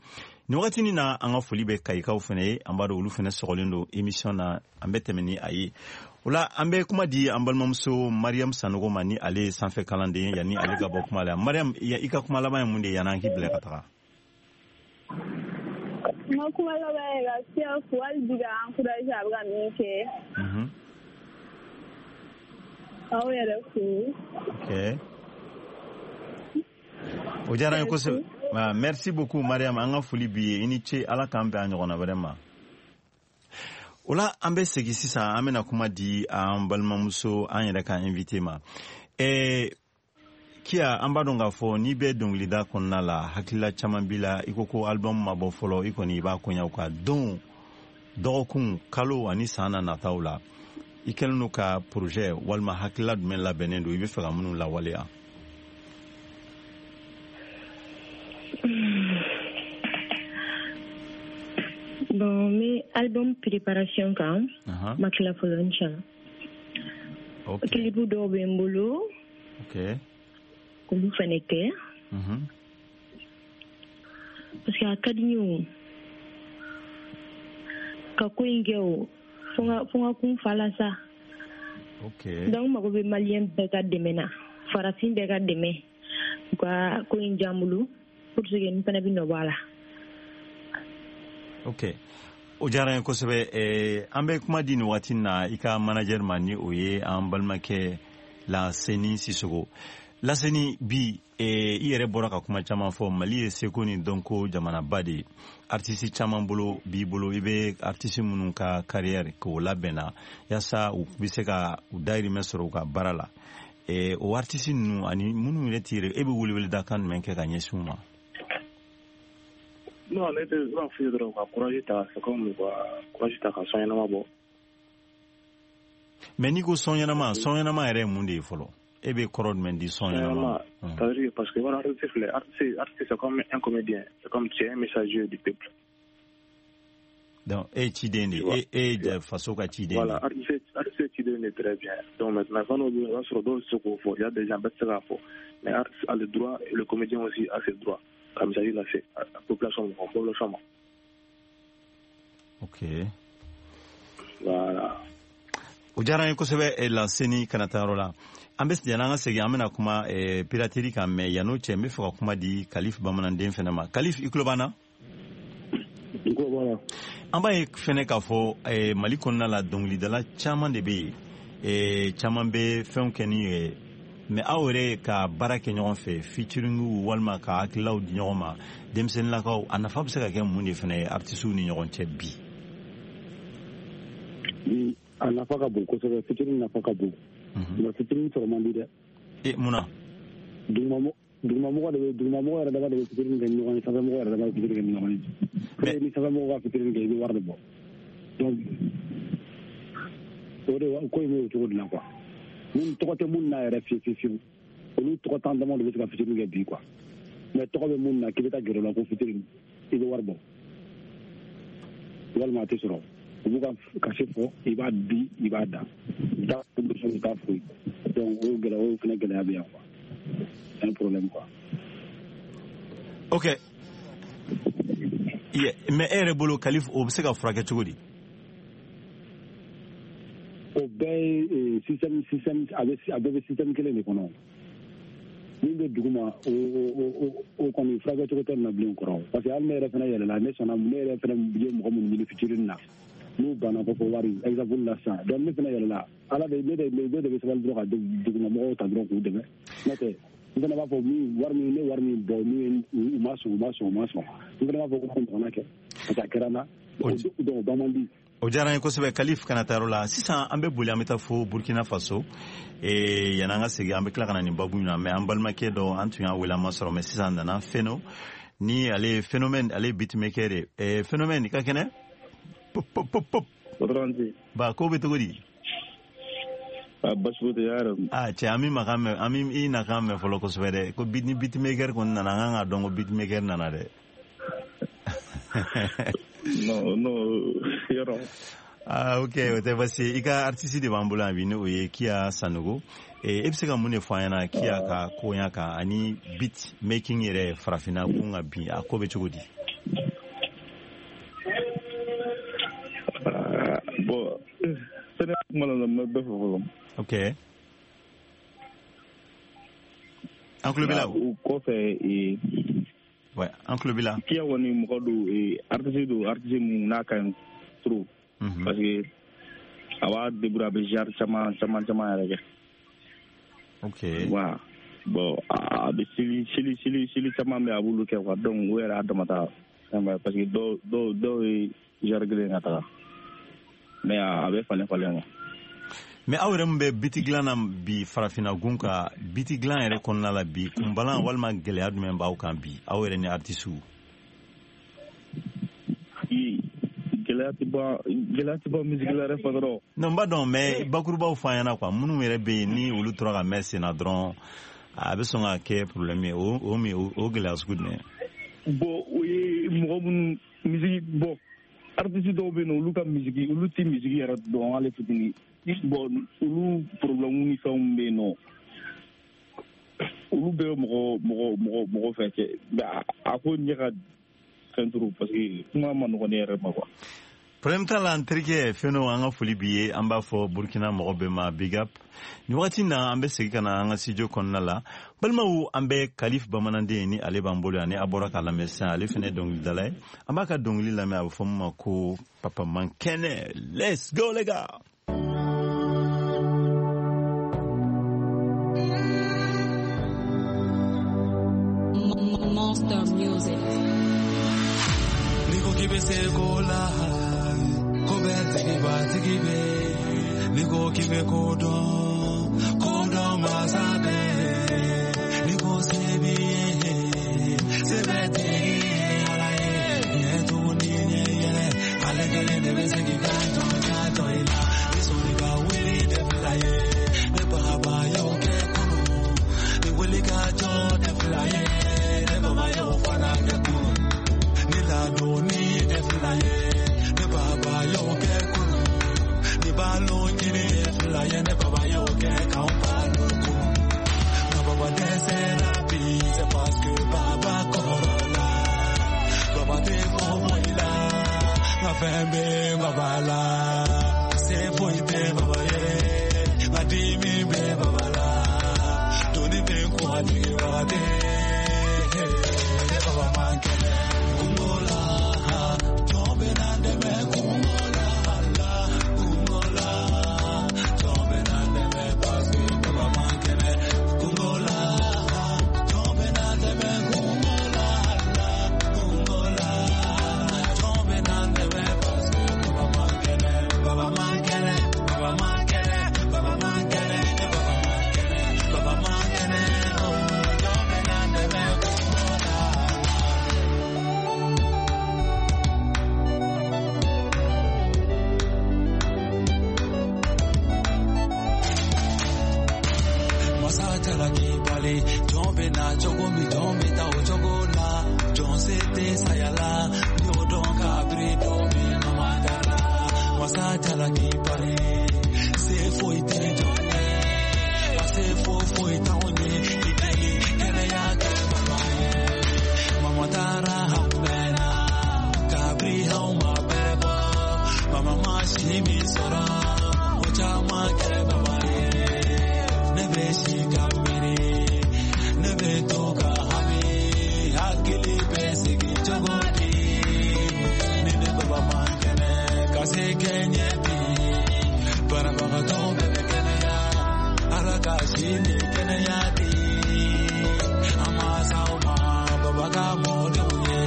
Speaker 2: Nin wagatinin na, an ka foli bɛ Kayikaw fana ye. An b'a dɔn olu fana sɔgɔlen don émission na, an bɛ tɛmɛ ni a ye. O la an bɛ kuma di an balimamuso Mariam Sanogo ma, ni ale ye sanfɛ kalanden ye, yanni ale ka bɔ kuma la. Mariam, i ka kuma laban ye mun de ye yanni an k'i bila ka taga?
Speaker 6: N ka kuma laban ye ka Siya fo hali bi, ka encourager a bɛ ka min kɛ. Aw yɛrɛ fo.
Speaker 2: Ok, o diyara n ye kosɛbɛ. Merci beaucoup Mariam, an ka foli b'i ye, i ni ce, Ala k'an bɛn a ɲɔgɔnna wɛrɛ ma. O la an bɛ segin sisan, an bɛna kuma di an balimamuso, an yɛrɛ ka invité ma. Ɛɛ Kiya, an b'a dɔn k'a fɔ n'i bɛ dɔnkilida kɔnɔna la, hakilila caman b'i la. I ko ko album ma bɔ fɔlɔ, i kɔni i b'a kɔɲaw ka don dɔgɔkun, kalo ani san na nataw la, i kɛlen don ka projet walima hakilila jumɛn labɛnnen don, i bɛ fɛ ka minnu lawaleya?
Speaker 3: Bon, mais album préparation kan, ma tila fɔlɔ, inchallah.
Speaker 2: Ok.
Speaker 3: Clip dɔw bɛ n bolo.
Speaker 2: Ok.
Speaker 3: K'olu fɛnɛ kɛ. Parce que a ka di n ye o. Ka ko in kɛ o, fo n ka kun fa la sa.
Speaker 2: Ok.
Speaker 3: Donc n mago bɛ maliyɛn bɛɛ ka dɛmɛ na, farafin bɛɛ ka dɛmɛ. U ka ko in diya n bolo pour que n fɛnɛ bɛ nɔ bɔ a la.
Speaker 2: Ok, o diyara n ye kosɛbɛ. An bɛ kuma di nin waati na i ka manager ma, ni o ye an balimakɛ Laseni Sisoko. Laseni, bi i yɛrɛ bɔra ka kuma caman fɔ. Mali ye seko ni dɔnko jamanaba de ye. Artiste caman bolo b'i bolo, i bɛ artiste minnu ka carrière k'o labɛnna yaasa u bɛ se ka u dahirimɛ sɔrɔ u ka baara la. O artiste ninnu ani minnu yɛrɛ t'i yɛrɛ, e bɛ weleweledakan jumɛn kɛ ka ɲɛsin u ma?
Speaker 4: Non, ne tɛ, n b'a f'u ye dɔrɔn ka courage ta, c'est comme ka courage ta ka son ɲɛnama bɔ.
Speaker 2: Mais n'i ko son ɲɛnama, son ɲɛnama yɛrɛ ye mun de ye fɔlɔ? E bɛ kɔrɔ jumɛn di son ɲɛnama ma?
Speaker 4: C'est-à-dire parce que voilà, artiste filɛ, artiste, artiste c'est comme un comédien, c'est comme tu es un messager du peuple.
Speaker 2: Donc e ye ciden de ye, e ye faso ka ciden de ye.
Speaker 4: Voilà, artiste, artiste ciden de, très bien. Donc maintenant fɛn dɔw bɛ yen, o b'a sɔrɔ dɔw tɛ se k'o fɔ, il y a des gens bɛɛ tɛ se k'a fɔ, mais artiste a le droit et le comédien aussi a ses droits. Ka message lase a population ma, population ma.
Speaker 2: Ok.
Speaker 4: Voilà.
Speaker 2: O diyara n ye kosɛbɛ Laseni, kana taa yɔrɔ la. An bɛ yanni an ka segin, an bɛna kuma piraterie kan, mais yann'o cɛ, n bɛ fɛ ka kuma di Kalif bamananden fɛnɛ ma. Kalif, i tulo b'an na?
Speaker 5: N tulo b'a la.
Speaker 2: An b'a ye fɛnɛ k'a fɔ Mali kɔnɔna la, dɔnkilidala caman de bɛ yen, caman bɛ fɛnw kɛ ni ye. Mais aw yɛrɛ ka baara kɛ ɲɔgɔn fɛ, featuring walima ka hakililaw di ɲɔgɔn ma, denmisɛnninlakaw, a nafa bɛ se ka kɛ mun de fana ye artistes ni ɲɔgɔn cɛ bi?
Speaker 5: Bi a nafa ka bon kosɛbɛ, featuring nafa ka bon. Mais featuring sɔrɔ man di dɛ.
Speaker 2: E mun na?
Speaker 5: Dugumamɔgɔ de bɛ, dugumamɔgɔ yɛrɛ dama de bɛ featuring kɛ ni ɲɔgɔn ye, sanfɛmɔgɔ yɛrɛ dama bɛ featuring kɛ ni ɲɔgɔn ye. Mais ni sanfɛmɔgɔ ka featuring kɛ, i bɛ wari de bɔ. Donc o de ko in bɛ o cogo de la quoi. Mun tɔgɔ tɛ mun na yɛrɛ fiyewu fiyewu fiyewu, olu tɔgɔ tan dama de bɛ se ka fitinin kɛ bi quoi. Mais tɔgɔ bɛ mun na k'i bɛ taa gɛrɛ o la ko fitinin, i bɛ wari bɔ walima a tɛ sɔrɔ. U b'u ka cachet fɔ, i b'a di, i b'a da, i t'a promotion, i t'a foyi. Donc o gɛlɛya, o fana gɛlɛya bɛ yan quoi, c'est un problème quoi.
Speaker 2: Ok, mais e yɛrɛ bolo Kalif, o bɛ se ka furakɛ cogo di?
Speaker 5: O bɛɛ ye système, système a bɛ, a bɛɛ bɛ système kelen de kɔnɔ. Min bɛ dugu ma, o o o kɔni furakɛ cogo tɛ nin na bilen kɔrɔ. Parce que hali ne yɛrɛ fana yɛlɛla, ne sɔnna, ne yɛrɛ fana ye mɔgɔ minnu ɲini fitinin na, n'u banna ko fɔ wari, exemple la sisan. Donc ne fana yɛlɛla, Ala de ne de ne de bɛ sabali dɔrɔn ka dugumamɔgɔw ta dɔrɔn k'u dɛmɛ. N'o tɛ n fana b'a fɔ min wari min, ne wari min bɔ, n'u ye u ma sɔn, u ma sɔn, u ma sɔn, n fana b'a fɔ ko ɲɔgɔnna kɛ, parce que a kɛra n na. Donc o ban man di.
Speaker 2: O diyara n ye kosɛbɛ Kalif, kana taa yɔrɔ la. Sisan an bɛ boli, an bɛ taa fo Burkina Faso. Yanni an ka segin, an bɛ tila ka na nin babu in na. Mais an balimakɛ dɔ, an tun y'a wele, an ma sɔrɔ, mais sisan nana Feno, ni ale ye Phénomène, ale ye beatmaker de ye. Phénomène, i ka kɛnɛ? Pop pop pop pop. Ba ko bɛ cogo di?
Speaker 4: Ah basi foyi tɛ yɛrɛ.
Speaker 2: Ah cɛ an b'i makan mɛn, an b'i nakan mɛn fɔlɔ kosɛbɛ dɛ. Ko beat ni beatmaker kɔni nana, an kan k'a dɔn ko beatmaker nana dɛ.
Speaker 4: Non non yɔrɔ.
Speaker 2: Ah ok, o tɛ basi ye. I ka artiste de b'an bolo yan bi, n'o ye Kia Sanogo. E bɛ se ka mun de fɔ an ɲɛna Kia ka koɲa kan ani beat making yɛrɛ farafinna kun ka bi, a ko bɛ cogo di?
Speaker 4: Bon, sani kuma la n bɛ bɛɛ fɔ fɔlɔ.
Speaker 2: Ok. An tulo b'i la.
Speaker 4: O kɔfɛ ee.
Speaker 2: Ouais, an tulo b'i la.
Speaker 4: Kia kɔni mɔgɔ don, artiste don, artiste mun n'a ka ɲi trop. Parce que a b'a débrouiller, a bɛ genre caman caman caman yɛrɛ kɛ.
Speaker 2: Ok.
Speaker 4: Wa bon, a bɛ style style style style caman bɛ a b'olu kɛ quoi, donc o yɛrɛ y'a damata fɛn ba ye, parce que dɔw dɔw dɔw ye genre kelen ka taga. Mais a bɛ falen falen quoi.
Speaker 2: Mais aw yɛrɛ min bɛ biti dilan na bi farafinna gun ka biti dilan yɛrɛ kɔnɔna la bi, kunbalan walima gɛlɛya jumɛn b'aw kan bi, aw yɛrɛ ni artisiw?
Speaker 4: Gɛlɛya tɛ ban, gɛlɛya tɛ ban musique la yɛrɛ patron.
Speaker 2: Non n b'a dɔn, mais bakurubaw fɔ an ɲɛna quoi, minnu yɛrɛ bɛ yen ni olu tora ka mɛn sen na dɔrɔn a bɛ sɔn ka kɛ problème ye, o o min o gɛlɛya sugu jumɛn?
Speaker 4: Bon, o ye mɔgɔ minnu musique, bon artiste dɔw bɛ yen nɔ, olu ka musique, olu tɛ musique yɛrɛ dɔn hali fitinin. Bon, olu problème ni fɛnw bɛ yen nɔ, olu bɛɛ mɔgɔ mɔgɔ mɔgɔ mɔgɔ fɛn cɛ, mais a ko ɲɛ ka fɛn trop parce que kuma ma nɔgɔn ne yɛrɛ ma quoi.
Speaker 2: Problème t'a la n terikɛ Feno, an ka foli b'i ye, an b'a fɔ Burkina mɔgɔ bɛɛ ma big up. Nin wagati na an bɛ segin ka na an ka studio kɔnɔna la. Balimaw, an bɛ Kalif Bamananden ni ale b'an bolo yan, ni a bɔra k'a lamɛn sisan, ale fana ye dɔnkilidala ye. An b'a ka dɔnkili lamɛn, a bɛ fɔ min ma ko Papa Mankɛnɛ. Let's go les gars.
Speaker 7: Monster Music.
Speaker 8: Niko k'i bɛ se ko la, ko bɛɛ tigi b'a tigi bɛ. Niko k'i bɛ ko dɔn, ko dɔn masa bɛ. Niko se b'i ye, se bɛ tigi ye Ala ye. Ɲɛ tugun ni ɲɛ yɛlɛ, ale kelen de bɛ se k'i kan jɔ kan jɔ i la. Ni sɔnni ka wuli tɛ fila ye, ne baba y'o kɛ kunun. Ni wuli ka jɔ tɛ fila ye, ne baba y'o fana kɛ kunun. Ni ladonni tɛ fila ye, ne baba y'o kɛ kunun. Ni balo ɲini ye fila ye, ne baba y'o kɛ k'anw balo kunun. Nka baba dɛsɛra bi, c'est parce que baba kɔrɔla. Baba tɛ fɔ foyi la, nka fɛn bɛ baba la. Se foyi tɛ baba ye, nka dimi bɛ baba la. Doni bɛ n kun a jigin wagati, ne baba man kɛnɛ. Kungo la, jɔn bɛ na dɛmɛ kungo la, la kungo la, jɔn bɛ na dɛmɛ parce que baba man kɛnɛ. Kungo la, jɔn bɛ na dɛmɛ kungo la, la kungo la, jɔn bɛ na dɛmɛ parce que baba man kɛnɛ. Baba man kɛnɛ, baba man kɛnɛ, baba man kɛnɛ, baba man kɛnɛ, baba man kɛnɛ, oh, jɔn bɛ na dɛmɛ kungo la. Masa jalaki bali, jɔn bɛ na cogo min, jɔn bɛ taa o cogo la. Jɔn se tɛ saya la, n y'o dɔn kabiri don min mama dara. Masa jalaki bali, se foyi tɛ jɔn ye, wa se foyi foyi t'anw ye. I deli kɛnɛya kɛ baba ye. Mama taara an mɛnna, kabiri anw ma bɛrɛ bɔ. Mama ma si min sɔrɔ, o caman kɛ baba ye. Ne bɛ si ka miiri, ne bɛ to ka hami, hakili bɛ sigi cogo di? Ni ne baba man kɛnɛ, ka se kɛ ɲɛ bi. Banabagatɔ bɛɛ bɛ kɛnɛya, Ala ka si ni kɛnɛya di. An ma s'aw ma, baba ka mɔdenw ye,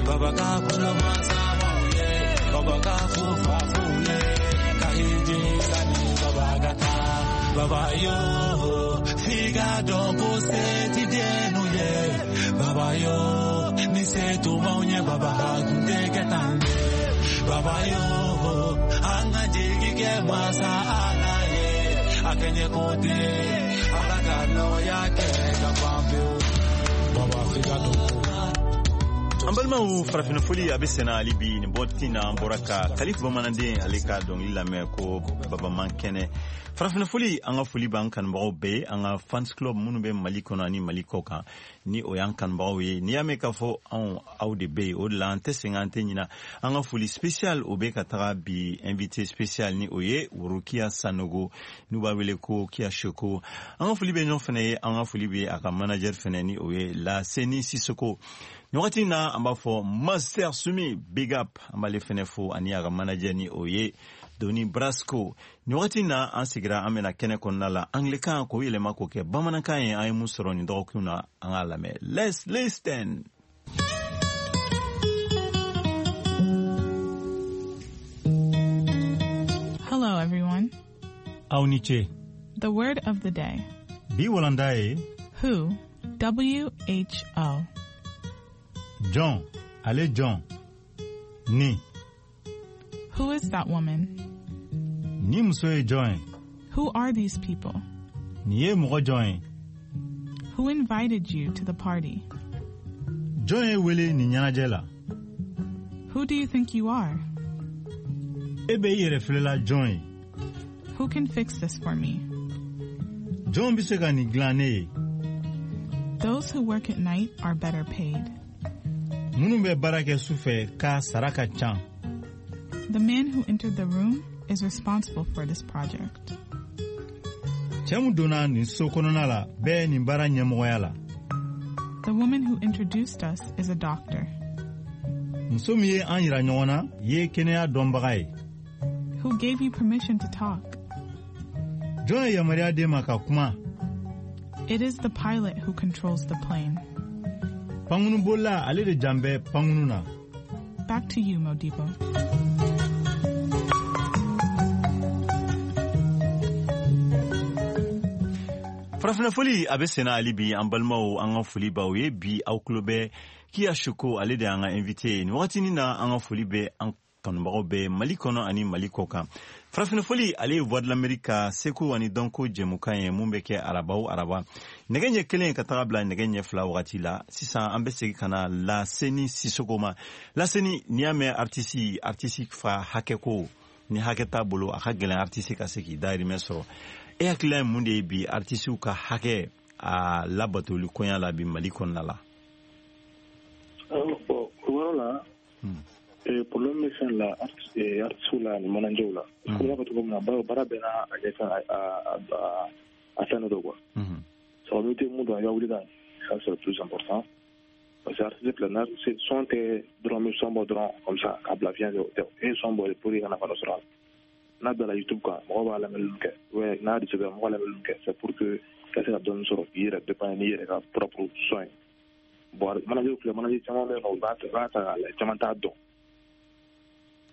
Speaker 8: baba ka bolomasabaw ye, baba ka fufafuw ye, ka hiji sani baba ka taa. Baba yo, f'i ka dɔn ko se ti dennu ye. Baba yo, ni se tun b'anw ye, baba a tun tɛ kɛ tan dɛ. Baba yo, an ka jigi kɛ masa Ala ye. a kɛɲɛ ko den Ala ka nɔgɔya kɛ ka ban pewu Baba f'i ka dɔn ko.
Speaker 2: An balimaw, farafinna foli a bɛ senna hali bi. Nin bɔti na, an bɔra ka Kalifu Bamananden ale ka dɔnkili lamɛn ko Baba man kɛnɛ. Farafinna foli, an ka foli b'an kanubagaw bɛɛ ye, an ka fans club minnu bɛ Mali kɔnɔ ani Mali kɔ kan, ni o y'an kanubagaw ye. N'i y'a mɛn k'a fɔ anw, aw de bɛ yen, o de la an tɛ sɛgɛn, an tɛ ɲina. An ka foli spécial o bɛ ka taga bi invité spécial, ni o ye Worokiya Sanogo, n'u b'a wele ko Kiya Soko. An ka foli bɛ ɲɔgɔn fana ye, an ka foli bɛ a ka manager fana, ni o ye Laseni Sisoko. Nin wagati in na, an b'a fɔ Master Sumi, big up. An b'ale fɛnɛ fo ani a ka manager, ni o ye Doni Brasco. Nin wagati in na, an sigira, an bɛna kɛnɛ kɔnɔna la anglais-kan k'o yɛlɛma k'o kɛ bamanankan ye. An ye mun sɔrɔ nin dɔgɔkun na, an k'a lamɛn. Let's listen.
Speaker 7: Hello, everyone.
Speaker 2: Aw ni ce.
Speaker 7: The word of the day.
Speaker 2: Bi walanda ye
Speaker 7: Who? W H O.
Speaker 2: Jɔn, ale jɔn ni.
Speaker 7: Who is that woman?
Speaker 2: Ni muso ye jɔn ye?
Speaker 7: Who are these people?
Speaker 2: Nin ye mɔgɔ jɔn ye?
Speaker 7: Who invited you to the party?
Speaker 2: Jɔn ye wele nin ɲɛnajɛ la?
Speaker 7: Who do you think you are?
Speaker 2: E bɛ i yɛrɛ filɛla jɔn ye?
Speaker 7: Who can fix this for me?
Speaker 2: Jɔn bɛ se ka nin dilan ne ye?
Speaker 7: Those who work at night are better paid.
Speaker 2: Minnu bɛ baara kɛ su fɛ k'a sara ka ca.
Speaker 7: The man who entered the room is responsible for this project.
Speaker 2: Cɛ min donna nin so kɔnɔna la bɛɛ nin baara ɲɛmɔgɔya la.
Speaker 7: The woman who introduced us is a doctor.
Speaker 2: Muso min ye an yira ɲɔgɔn na ye kɛnɛya dɔnbaga ye.
Speaker 7: Who gave you permission to talk?
Speaker 2: Jɔn ye yamaruya d'e ma ka kuma?
Speaker 7: It is the pilot who controls the plane.
Speaker 2: Pankurunbolila ale de jan bɛ pankurun na.
Speaker 7: Back to you, Modibo.
Speaker 2: Farafinna foli a bɛ senna hali bi. An balimaw, an ka foli b'aw ye bi. Aw tulo bɛ Kiya Soko, ale de y'an ka invité ye nin wagatinin na. An ka foli bɛ an kanubagaw bɛɛ Mali kɔnɔ ani Mali kɔ kan. Farafinna foli, ale ye Voix de l'Amérique ka seko ani dɔnko jɛmukan ye mun bɛ kɛ araba o araba nɛgɛ ɲɛ kelen ka taga bila nɛgɛ ɲɛ fila wagati la. Sisan an bɛ segin ka na Laseni Sisoko ma. Laseni, n'i y'a mɛn artiste, artiste fa hakɛ ko ni hakɛ t'a bolo, a ka gɛlɛn artiste ka se k'i dahirimɛ sɔrɔ. E hakilila ye mun de ye bi artistew ka hakɛ a labatoli koɲa la bi Mali kɔnɔna la?
Speaker 4: Bon, o yɔrɔ la, problème bɛ fɛn la, artiste la ani manager la. Ko b'a fɔ cogo min na, baara bɛɛ n'a a kɛ fɛn a a fɛn dɔ don quoi. Sababu n'i tɛ mun dɔn, i ka wuli ka ça, c'est le plus important. Parce que artiste filɛ, n'a son tɛ dɔrɔn bɛ son bɔ dɔrɔn comme ça k'a bila fiɲɛ fɛ, o tɛ. E ye son bɔ pour que i ka nafa dɔ sɔrɔ a la. N'a bilala YouTube kan, mɔgɔw b'a lamɛnni kɛ, ouais, n'a distribué, mɔgɔw b'a lamɛnni kɛ, c'est pour que ka se ka dɔɔni sɔrɔ k'i yɛrɛ dépanner n'i yɛrɛ ka propre son ye. Bon, manager filɛ, manager caman bɛ yen nɔ, u b'a ta u b'a ta k'a lajɛ, caman t'a dɔn.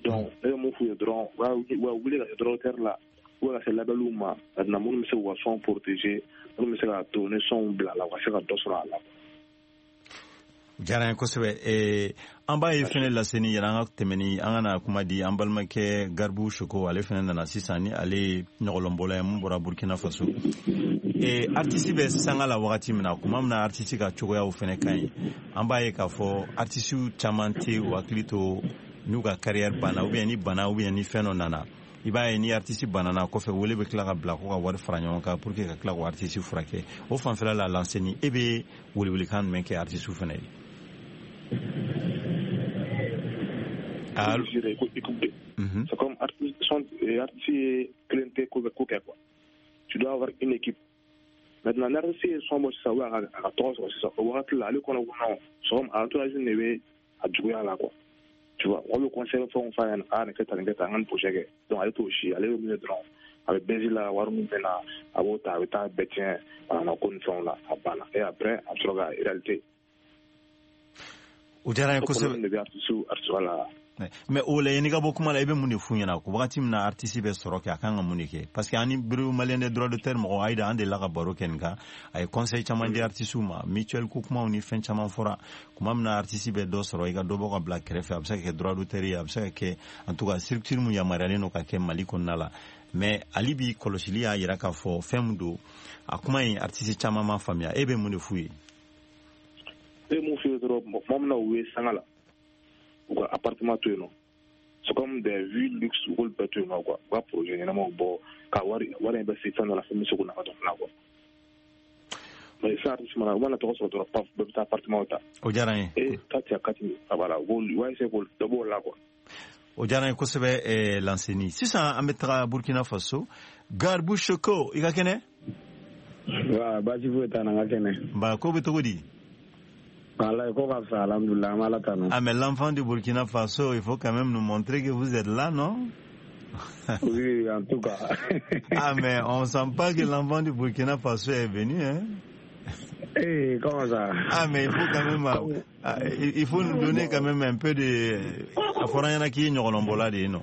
Speaker 4: Donc ne bɛ mun f'u ye dɔrɔn, u ka wuli ka se droit d'auteur la, u ka se labɛliw ma maintenant, minnu bɛ se k'u ka son protéger, minnu bɛ se k'a to ni sonw bilala, u ka se ka dɔ sɔrɔ a la.
Speaker 2: Diyara n ye kosɛbɛ. An b'a ye fɛnɛ, Laseni, yɛrɛ an ka tɛmɛ ni an ka na kuma di an balimakɛ Garibu Soko, ale fɛnɛ nana sisan, ni ale ye ɲɔgɔlɔnbɔla ye mun bɔra Burkina Faso. Artiste bɛ sanga la wagati min na, kuma min na artiste ka cogoyaw fɛnɛ ka ɲi, an b'a ye k'a fɔ artiste caman tɛ u hakili to n'u ka carrière banna, ou bien ni bana, ou bien ni fɛn dɔ nana. I b'a ye ni artiste banana kɔfɛ, wele bɛ tila ka bila ko ka wari fara ɲɔgɔn kan pour que ka tila k'o artiste furakɛ. O fanfɛla la, Lanseni, e bɛ welewelekan jumɛn kɛ artiste fɛnɛ ye?
Speaker 4: C'est comme artiste, artiste kelen tɛ ko ko kɛ quoi. Tu dois avoir une équipe. Maintenant, n'artiste ye son bɔ sisan, ou a ka tɔgɔ sɔrɔ sisan, o wagati la ale kɔnɔ ko non, c'est comme a entourage de bɛ a juguya la quoi. Tu vois, mɔgɔ bɛ conseil fɛnw f'a ɲɛna, a nin kɛ tan, nin kɛ tan, an ka nin projet kɛ. Donc ale t'o si, ale bɛ min ye dɔrɔn, a bɛ bɛnzi la, wari min bɛ na, a b'o ta, a bɛ taa bɛɛ tiɲɛ banana ko ni fɛnw la, a banna. Et après, a bɛ sɔrɔ ka réalité.
Speaker 2: O diyara n ye kosɛbɛ.
Speaker 4: De bɛ artiste artiste la.
Speaker 2: Mais o la, yanni ka bɔ kuma la, i bɛ mun de f'u ɲɛna ko wagati min na artiste bɛ sɔrɔ kɛ, a kan ka mun de kɛ? Parce que ani bureau malien des droits d'auteur mɔgɔ Ayida, an delila ka baro kɛ nin kan. A ye conseil caman di artiste ma, mutuelle ko kumaw ni fɛn caman fɔra. Kuma min na artiste bɛ dɔ sɔrɔ, i ka dɔ bɔ ka bila kɛrɛfɛ, a bɛ se ka kɛ droit d'auteur ye, a bɛ se ka kɛ en tout cas structure mun yamaruyalen don ka kɛ Mali kɔnɔna la. Mais ali bi kɔlɔsili y'a yira k'a fɔ fɛn min don, a kuma in artiste caman ma faamuya. E bɛ mun de f'u ye?
Speaker 4: E mun f'u ye dɔrɔn, mɔgɔ min na u ye sanga la, u ka appartement to yen nɔ, c'est comme des vues luxe, u k'olu bɛɛ to yen nɔ quoi. U ka projet ɲɛnamaw bɔ ka wari wari in bɛ se fɛn dɔ la, fɛn bɛ se k'u nafa dɔn fana quoi. Mais fɛn artiste mana, u mana tɔgɔ sɔrɔ dɔrɔn, paf, bɛɛ bɛ taa appartement ta.
Speaker 2: O diyara n ye.
Speaker 4: E kati a kati a voilà, u b'olu u b'a essayer k'olu dɔ b'o la quoi.
Speaker 2: O diyara n ye kosɛbɛ. eh, Lanseni, sisan an bɛ taga Burkina Faso. Garbu Shoko, i ka kɛnɛ?
Speaker 5: Wa baasi foyi t'an na, n ka kɛnɛ.
Speaker 2: Ba ko bɛ cogo di?
Speaker 5: Wallahi ko ka fisa, alhamdulillah, an b'Ala tanu.
Speaker 2: Ah mais l'enfant du Burkina Faso, il faut quand même nous montrer que vous êtes là, non?
Speaker 5: Oui, en tout cas.
Speaker 2: Ah mais on sent pas que l'enfant du Burkina Faso est venu, hein?
Speaker 5: Eh, comment ça?
Speaker 2: Ah mais il faut quand même, ah, il faut nous donner quand même un peu de, a fɔra an ɲɛna k'i ye ɲɔgɔlɔnbɔla de ye, non?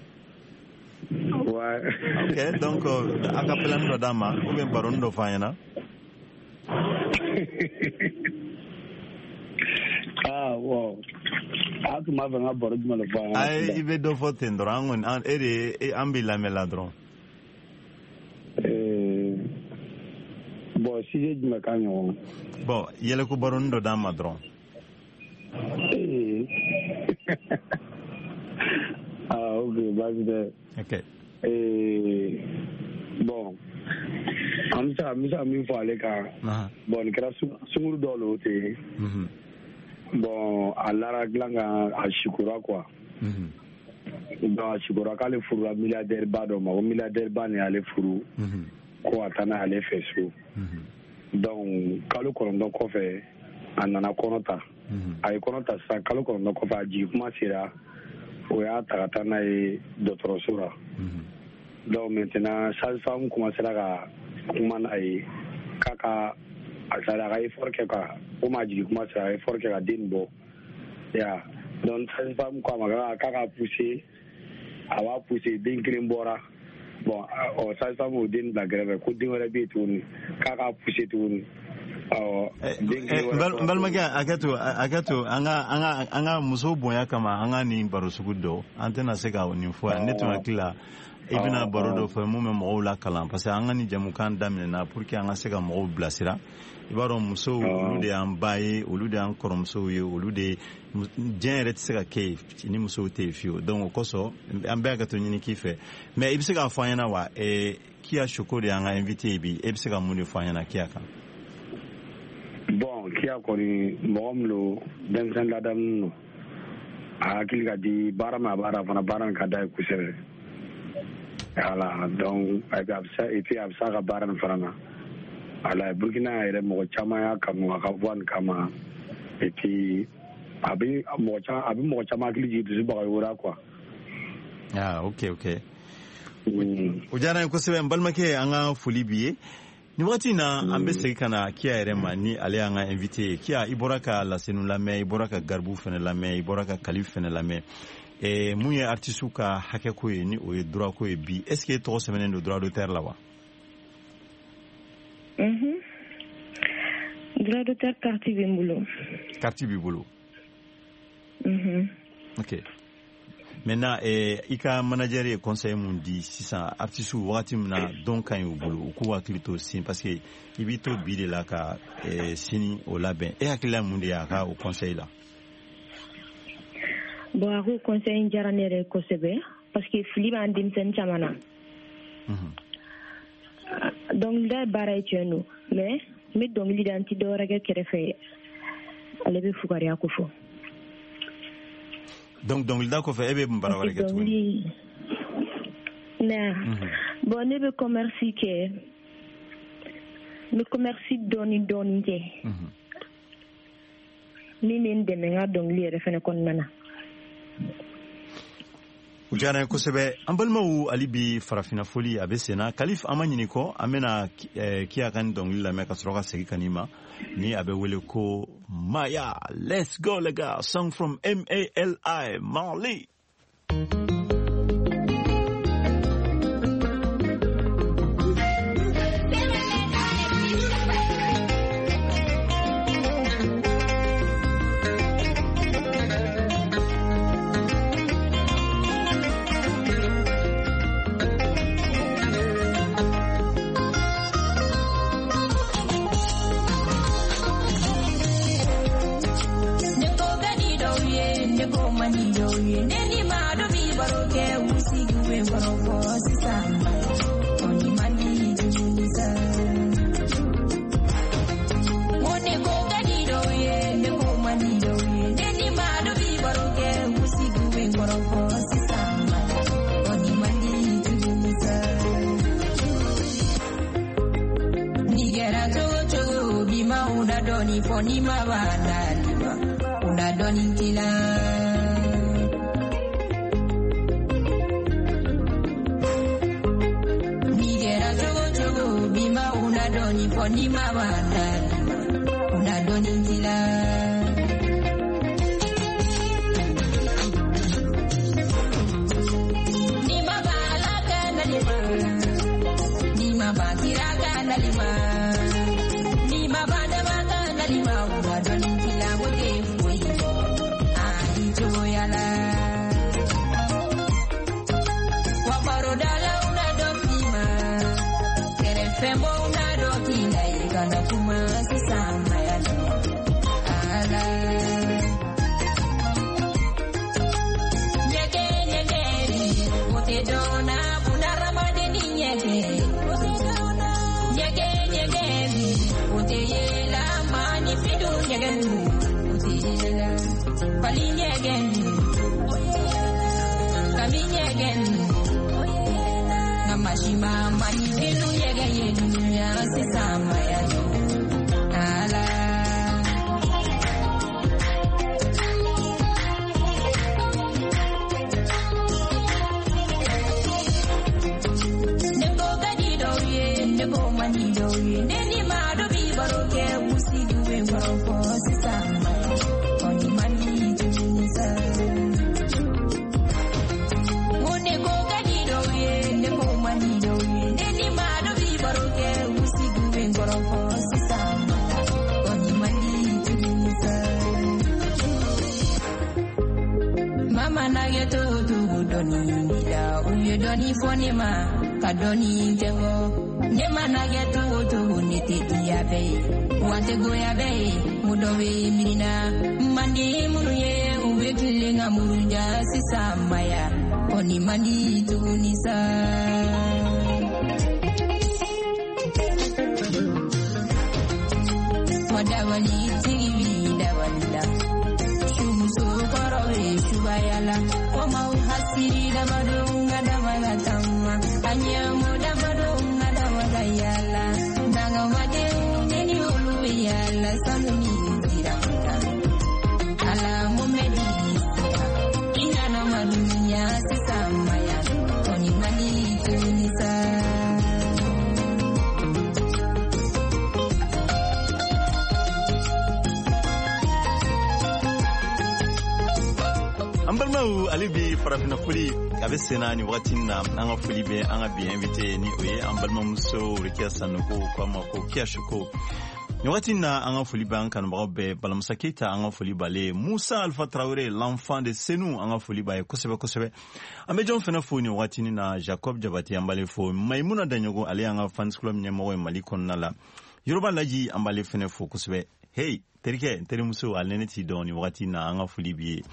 Speaker 5: Ouais.
Speaker 2: Ok, donc a ka pelani dɔ d'an ma ou bien baroni dɔ fɔ an ɲɛna.
Speaker 5: Ah bon, a tun b'a fɛ n ka baro jumɛn de fɔ an ɲɛna?
Speaker 2: Ayi, i bɛ dɔ fɔ ten dɔrɔn, an kɔni an e de an b'i lamɛn la dɔrɔn.
Speaker 5: Eh, bon, sujet jumɛn ka ɲɔgɔn?
Speaker 2: Bon, yɛlɛko baroni dɔ d'an ma dɔrɔn.
Speaker 5: Eh. Ah ok, baasi tɛ.
Speaker 2: Ok.
Speaker 5: Eh, bon, an bɛ se ka n bɛ se ka min fɔ ale kan. Bon, nin kɛra sunkuru dɔw le o ten. Bon, a lara dilan kan, a sikora quoi. Donc a sikora k'ale furula milliardaire ba dɔ ma, ko milliardaire ba nin y'ale furu, ko a taa n'ale fɛ so. Donc kalo kɔnɔntɔn kɔfɛ, a nana kɔnɔ ta. A ye kɔnɔ ta sisan, kalo kɔnɔntɔn kɔfɛ, a jigin kuma sera, o y'a ta ka taa n'a ye dɔgɔtɔrɔso la. Donc maintenant sage-femme commencera ka kuma n'a ye k'a ka a sari a ka effort kɛ ka komi a jigin kuma sera, a effort kɛ ka den bɔ ya. Donc sage-femme ko a ma k'a ka pousser, a b'a pousser, den kelen bɔra. Bon, ɔ sage-femme y'o den bila gɛrɛfɛ, ko den wɛrɛ bɛ yen tuguni, k'a ka pousser tuguni. Awɔ, den kelen wɛrɛ
Speaker 2: bɔra. N balimakɛ, hakɛ to, hakɛ to, an ka an ka an ka muso bonya kama, an ka nin baro sugu dɔ, an tɛna se ka nin fɔ yan. Ne tun hakili la i bɛna baro dɔ fɔ mun bɛ mɔgɔw lakalan, parce que an ka nin jamukan daminɛna pour que an ka se ka mɔgɔw bilasira. I b'a dɔn, musow olu de y'an ba ye, olu de y'an kɔrɔmusow ye, olu de diɲɛ yɛrɛ tɛ se ka kɛ yen ni musow tɛ yen fiyewu. Donc o kosɔn an bɛɛ ka to ɲini k'i fɛ. Mais i bɛ se k'a fɔ an ɲɛna wa, Kia Shoko de y'an ka invité ye bi, e bɛ se ka mun de fɔ an ɲɛna Kia kan?
Speaker 5: Bon, Kia kɔni mɔgɔ min don, denmisɛnnin ladamunen don, a hakili ka di baara ma, a b'a fana baara in ka d'a ye kosɛbɛ. Voilà, donc a bɛ se, et puis a bɛ se a ka baara nin fana na. Voilà, Burkina yɛrɛ mɔgɔ caman y'a kanu a ka voix nin kama, et puis a bɛ mɔgɔ caman a bɛ mɔgɔ caman hakili jigin Dusu Bagayogo la quoi.
Speaker 2: Ah ok ok. O diyara n ye kosɛbɛ, n balimakɛ, an ka foli b'i ye. Nin wagati in na, an bɛ segin ka na Kia yɛrɛ ma, ni ale y'an ka invité ye. Kia, i bɔra ka Lasenu lamɛn, i bɔra ka Garibu fɛnɛ lamɛn, i bɔra ka Kalif fɛnɛ lamɛn. Eh, mun ye artiste ka hakɛko ye, ni o ye droit ko ye bi, est ce que e tɔgɔ sɛbɛnnen don droit d'auteur la wa?
Speaker 3: Mhm. Droit d'auteur carte bɛ n bolo.
Speaker 2: Carte b'i bolo?
Speaker 3: Mhm.
Speaker 2: Ok. Maintenant, eh, i ka manager ye conseil mun di sisan artiste wagati min na dɔn ka ɲi u bolo, u k'u hakili to sini, parce que i b'i to bi de la ka eh, sini o labɛn. E hakilila mun de y'a ka o conseil la?
Speaker 3: Bon, a ko conseil in diyara ne yɛrɛ kosɛbɛ, parce que fili b'an denmisɛnnin caman na. Dɔnkilida ye baara ye, tiɲɛ don, mais n bɛ dɔnkili da, n tɛ dɔwɛrɛ kɛ kɛrɛfɛ, ale bɛ fugariya ko fɔ.
Speaker 2: Donc dɔnkilida kɔfɛ, e bɛ mun baara wɛrɛ kɛ tuguni?
Speaker 3: Ne, bon, ne bɛ commerce kɛ, n bɛ commerce dɔɔni dɔɔni kɛ min bɛ n dɛmɛ n ka dɔnkili yɛrɛ fɛnɛ kɔnɔna na.
Speaker 2: O diyara n ye kosɛbɛ. An balimaw, hali bi farafinna foli a bɛ sen na. Kalif, an ma ɲini kɔ, an bɛna Kia ka nin dɔnkili lamɛn ka sɔrɔ ka segin ka n'i ma, ni a bɛ wele ko Maya. Let's go les gars, song from M A L I, Mali.
Speaker 9: ye ne ni maa dɔ bi baro kɛ u sigi bɛ kɔrɔfɔ sisan kɔni man di tuguni sa. N ko ne ko ka di dɔw ye ne ko man di dɔw ye ne ni maa dɔ bi baro kɛ u sigi bɛ kɔrɔfɔ sisan kɔni man di tuguni sa. Ni kɛra cogo cogo bi ma u da dɔɔni fɔ ni ma b'a la una dɔɔni k'i la. Ni kɛra cogo cogo bi ma una dɔɔni fɔ ni ma b'a la una dɔɔni k'i la. Ni ma b'a la ka nali ma, ni ma b'a kira ka nali ma, ni ma b'a dama ka nali ma una dɔɔni k'i la o tɛ foyi cogoya la. Wa barodalaw na dɔ k'i ma, kɛrɛfɛmɔgɔw na dɔ k'i la i kana kuma sisan maya ala. Ɲɛgɛn ɲɛgɛn o tɛ dɔn na bunahadamaden ni ɲɛgɛn. Ɲɛgɛn ɲɛgɛn o tɛ yela maanifin dun ɲɛgɛn o tɛ yela. Fali ɲɛgɛn kami ɲɛgɛn nka masima maanifin ɲɛgɛn ye dunuya sisan maya ala. Ne ko ka di dɔw ye ne ko man di dɔw ye ne ni maa dɔ bi baro kɛ u sigi bɛ kɔrɔfɔ sisan kɔni man di tuguni sa. N ko ne ko ka di dɔw ye ne ko man di dɔw ye ne ni maa dɔ bi baro kɛ u sigi bɛ kɔrɔfɔ sisan kɔni man di tuguni sa. Mama na kɛ cogo cogo dɔɔni b'i la u ye dɔɔni fɔ ne ma ka dɔɔni kɛ n kɔ. Ne mana kɛ cogo cogo ne tɛ diya bɛɛ ye wa tɛ goya bɛɛ ye mun dɔ bɛ miiri na man di minnu ye u bɛ tilen ka murunja sisan maya kɔni man di tuguni sa. Wa dabali tigi bi dabali la sumuso kɔrɔ bɛ subaya la ko maaw hasiri damadɔ ka dama ka taama a ɲɛmɔ damadɔ ka dama ka yaala dangamadenw ne ni olu bɛ yaala sanu ni sira kan ala mun bɛ di sira i nana ma dunuya sisan maya kɔni man di tuguni sa.
Speaker 2: An balimaw ale bi farafinna foli a bɛ senna nin wagati na an ka foli bɛ an ka bi invité ni o ye an balimamuso Rokia Sanogo ko a ma ko Kia Shoko. Nin wagati na an ka foli bɛ an kanubagaw bɛɛ Balamusa Keita an ka foli b'ale Musa Alpha Traoré l'enfant de Senou an ka foli b'a ye kosɛbɛ kosɛbɛ. An bɛ jɔn fana fo nin wagati na Jacob Jabate an b'ale fo Maimuna Daɲogo ale y'an ka fans club ɲɛmɔgɔ ye Mali kɔnɔna la Yoroba Laji an b'ale fana fo kosɛbɛ. Hey terikɛ n terimuso ale ne t'i dɔn nin wagati na an ka foli b'i ye.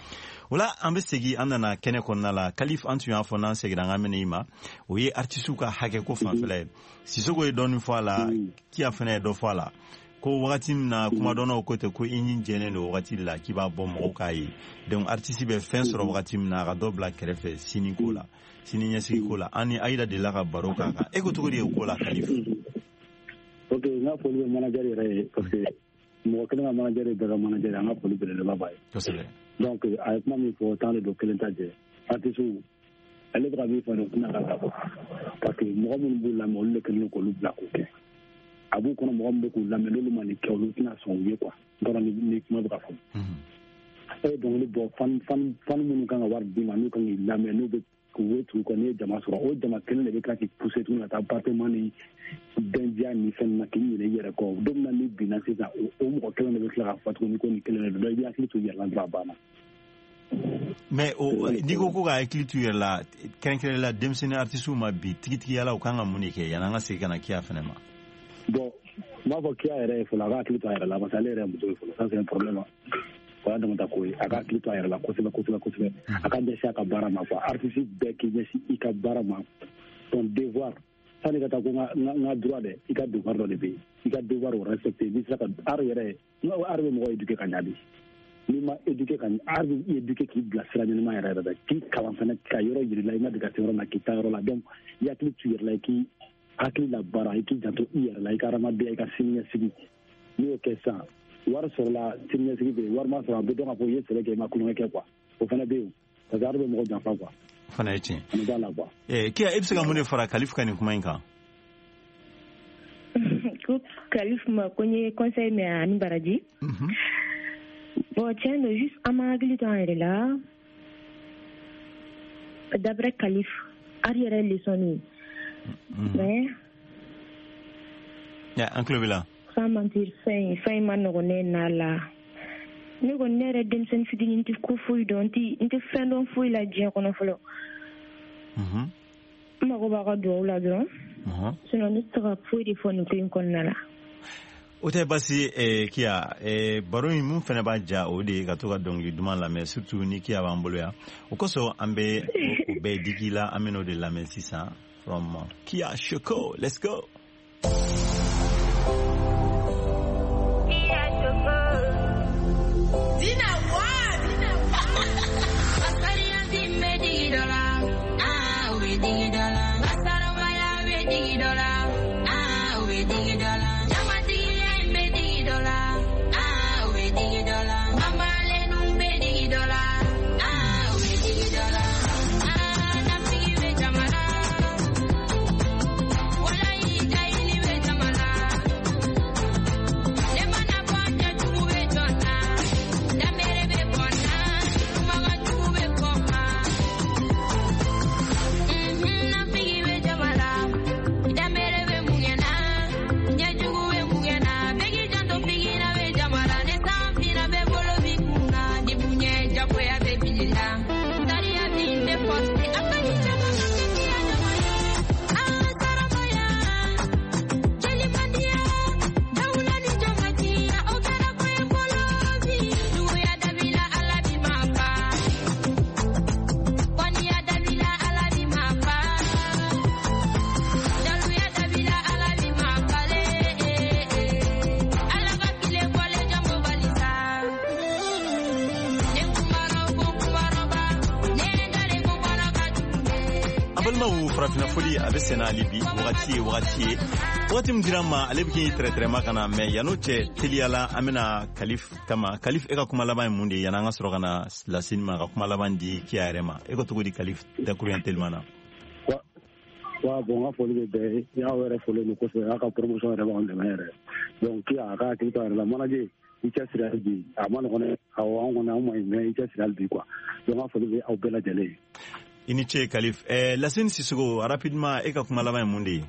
Speaker 2: O la an bɛ segin an nana kɛnɛ kɔnɔna la Kalif an tun y'a fɔ n'an seginna an ka minɛ i ma o ye artisiw ka hakɛ ko fanfɛla ye. Sisoko ye dɔɔnin fɔ a la Kia fana ye dɔ fɔ a la ko wagati min na kumadɔnnaw ko tɛ ko i ɲin jɛlen don wagati la k'i b'a bɔ mɔgɔw k'a ye donc artiste bɛ fɛn sɔrɔ wagati min na a ka dɔ bila kɛrɛfɛ sini ko la sini ɲɛsigi ko la an ni Ayida delila ka baro k'a kan e ko cogo di o ko la Kalif?
Speaker 5: Ok n ka foli bɛ manager yɛrɛ ye parce que mɔgɔ kelen ka manager ye bɛɛ ka manager an ka foli belebeleba b'a ye.
Speaker 2: Kosɛbɛ.
Speaker 5: Donc a ye kuma min fɔ tan de don kelen ta jɛ artiste ale bɛ ka min fɔ nin tɛna ka dabɔ parce que mɔgɔ minnu b'u lamɛn olu de kɛlen don k'olu bila k'o kɛ a b'u kɔnɔ mɔgɔ min bɛ k'u lamɛn n'olu ma nin kɛ olu tɛna sɔn u ye quoi n t'a dɔn ni kuma bɛ ka fɔ. E ye dɔnkili bɔ fan fan fan minnu kan ka wari d'i ma n'u kan k'i lamɛn n'u bɛ k'u ye tugu kɔ n'i ye jama sɔrɔ o jama kelen de bɛ tila k'i pousser tuguni ka taa battement ni bɛndiya ni fɛn na k'i ɲinɛ i yɛrɛ kɔ don min na n'i binna sisan o mɔgɔ kelen de bɛ tila k'a fɔ tuguni ko nin kelen de don i b'i hakili to i yɛrɛ la dɔrɔn a banna.
Speaker 2: Mais n'i ko ko ka hakili to i yɛrɛ la kɛrɛnkɛrɛnnenya la denmisɛnnin artisiw ma bi tigitigiya la u kan ka mun de kɛ yanni an ka segin ka na Kia fɛnɛ ma?
Speaker 5: Bon n b'a fɔ Kia yɛrɛ ye fɔlɔ a ka hakili to a yɛrɛ la parce que ale yɛrɛ ye muso ye fɔlɔ ça c'est un problème. O y'a damata ko ye. A ka hakili to a yɛrɛ la kosɛbɛ kosɛbɛ kosɛbɛ. A ka ɲɛsin a ka baara ma quoi. Artiste bɛɛ k'i ɲɛsin i ka baara ma. Ton devoir, sani ka taa ko n ka droit dɛ, i ka devoir dɔ de bɛ yen. I ka devoir o respecter. N'i sera ka art yɛrɛ, n ka art bɛ mɔgɔ éduquer ka ɲa de. N'i ma éduquer ka ɲa, art bɛ i éduquer k'i bila sira ɲɛnama yɛrɛ yɛrɛ k'i kalan fɛnɛ ka yɔrɔ yir'i la, i ma deli ka se yɔrɔ min na k'i taa yɔrɔ la. Donc i hakili to i yɛrɛ la, i k'i hakili labaara, i k'i janto i yɛrɛ la, i ka hadamadenya, i ka siniɲɛsigi. N'i y'o kɛ sisan, wari sɔrɔla, siniɲɛsigi bɛ yen. Wari ma sɔrɔ, a bɛ dɔn k'a fɔ i ye sɛbɛ kɛ, i ma kulonkɛ kɛ quoi. O fana bɛ yen parce que art bɛ mɔgɔ janfa quoi.
Speaker 2: O fana ye tiɲɛ.
Speaker 5: Ani b'a la quoi.
Speaker 2: Eh, Kia, e bɛ se ka mun de fara Kalif ka nin kuma in kan?
Speaker 3: Ko Kalif ma ko n ye conseil mɛn ani baraji. Bon, tiɲɛ don, juste an ma hakili to an yɛrɛ la. D'après Kalif, art yɛrɛ ye leçon de ye. Mais
Speaker 2: an tulo b'i la.
Speaker 3: Sans mentir, fɛn fɛn in ma nɔgɔn ne n'a la. Ne kɔni, ne yɛrɛ denmisɛnnin fitinin, n tɛ ko foyi dɔn, n tɛ n tɛ fɛn dɔn foyi la diɲɛ kɔnɔ fɔlɔ. N mago b'a ka duwawu la dɔrɔn. Sinon ne tɛ se ka foyi de fɔ nin ko in kɔnɔna la.
Speaker 2: O tɛ baasi ye. Kia, baro in mun fana b'a ja, o de ye ka to ka dɔnkili duman lamɛn, surtout ni Kia b'an bolo yan. O kosɔn an bɛ o bɛɛ digi la, an bɛ n'o de lamɛn sisan from Kia Shoko. Let's go.
Speaker 9: Kia Shoko. Dina wa, Dina wa. Asariya ti me digi dɔ la. Ah, o bɛ digi dɔ la. Asarabaya bɛ digi dɔ la. Ah, o bɛ digi dɔ la. Jamatigiya in bɛ digi dɔ la. Ah, o bɛ digi dɔ la. Mamalenu bɛ digi dɔ la. Ah, o bɛ digi dɔ la. Ah, nafigi bɛ jama la. Walayi jahili bɛ jama la. Ne mana bɔ cɛjugu bɛ jɔ n na. Danbere bɛ bɔ n na. Kumakan jugu bɛ fɔ n ma. Nafigi bɛ jama la. Danbere bɛ mun kɛ n na. Ɲɛjugu bɛ mun kɛ n na. Bɛɛ k'i janto figina bɛ jama la. Ne san finna bɛɛ bolo b'i kun na. Ni bonya jagoya bɛ bili la. Sariya bin tɛ forcer. A ka ɲi caman ka kɛ kiya jama ye. Ah, saramaya. Jelimandiya. Dawula ni jɔnmatiya. O kɛra ko ye fɔlɔ bi. Juguya dabila Ala bi ma fa. Kɔniya dabila Ala bi ma fa. Jaluya dabila Ala bi ma fale. Ala ka tile bɔlen jɔnko bali sa. Ne kumara ko kumaraba. Ne dalen ko kɔnɔ ka jugu dɛ.
Speaker 2: An balimaw, farafinna foli a bɛ senna hali bi. Wagati ye wagati ye, wagati min dira an ma, ale bɛ k'i tɛrɛtɛrɛma ka na mɛ yan'o cɛ, teliya la an bɛna Kalif kama. Kalif, e ka kuma laban ye mun de ye yan'an ka sɔrɔ ka na Laseni ma ka kuma laban di Kia yɛrɛ ma? E ko cogo di, Kalif, dakuruɲɛ telima na?
Speaker 5: Wa bon, n ka foli bɛ bɛɛ ye. Aw yɛrɛ folilen don kosɛbɛ. A ka promotion yɛrɛ b'anw dɛmɛ yɛrɛ. Donc Kia, a ka hakili to a yɛrɛ la. Manager, i cɛsiri hali bi. A ma nɔgɔn dɛ. Awɔ, an kɔni an ma ɲi mais i cɛsiri hali bi quoi. Donc n ka foli bɛ aw bɛɛ lajɛlen ye.
Speaker 2: I ni ce, Kalif. eh, Laseni Sisoko, rapidement, e ka kuma laban ye mun de ye?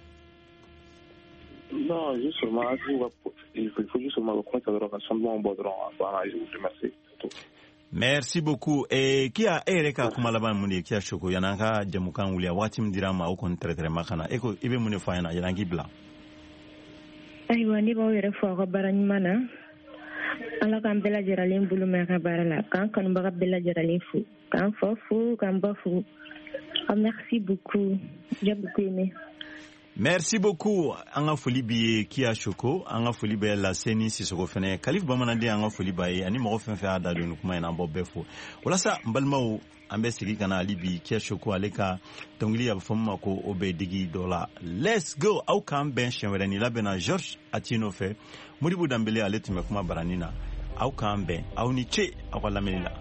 Speaker 4: Non, juste seulement, il faut, il faut juste seulement reconnaître dɔrɔn ka son dumanw bɔ dɔrɔn. Voilà, je vous remercie. C'est tout.
Speaker 2: Merci beaucoup. Eh, Kia, e yɛrɛ ka kuma laban ye mun de ye? Kia Shoko, yan'an ka jamukan wuli, a waati min dira an ma, o kɔni tɛrɛtɛrɛma ka na. E ko i bɛ mun de fɔ an ɲɛna yan'an k'i bila?
Speaker 3: Ayiwa, ne b'aw yɛrɛ fo aw ka baara ɲuman na. Ala k'an bɛɛ lajɛlen bolo mɛn a ka baara la. K'an kanubaga bɛɛ lajɛlen fo. K'an fa fo, k'an ba fo. Ah, merci beaucoup. J'ai beaucoup aimé.
Speaker 2: Merci beaucoup. An ka foli b'i ye, Kia Shoko. An ka foli bɛ Laseni Sisoko fɛnɛ. Kalif Bamananden, an ka foli b'a ye. Ani mɔgɔ fɛn fɛn y'a da don nin kuma in na, an b'aw bɛɛ fo. Walasa n balimaw, an bɛ segin ka na hali bi Kia Shoko, ale ka dɔnkili a bɛ fɔ min ma ko o bɛ digi dɔ la. Let's go. Aw k'an bɛn siɲɛ wɛrɛ. Nin labɛnna George Atino fɛ. Modibo Danbele, ale tun bɛ kuma baranin na. Aw k'an bɛn. Aw ni ce aw ka lamɛnni la.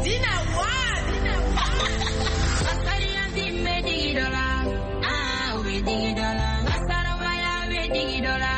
Speaker 9: Dina wa, Dina wa. Asariya ti bɛ digi dɔ la. Ah, o bɛ digi dɔ la. Asarabaya bɛ digi dɔ la.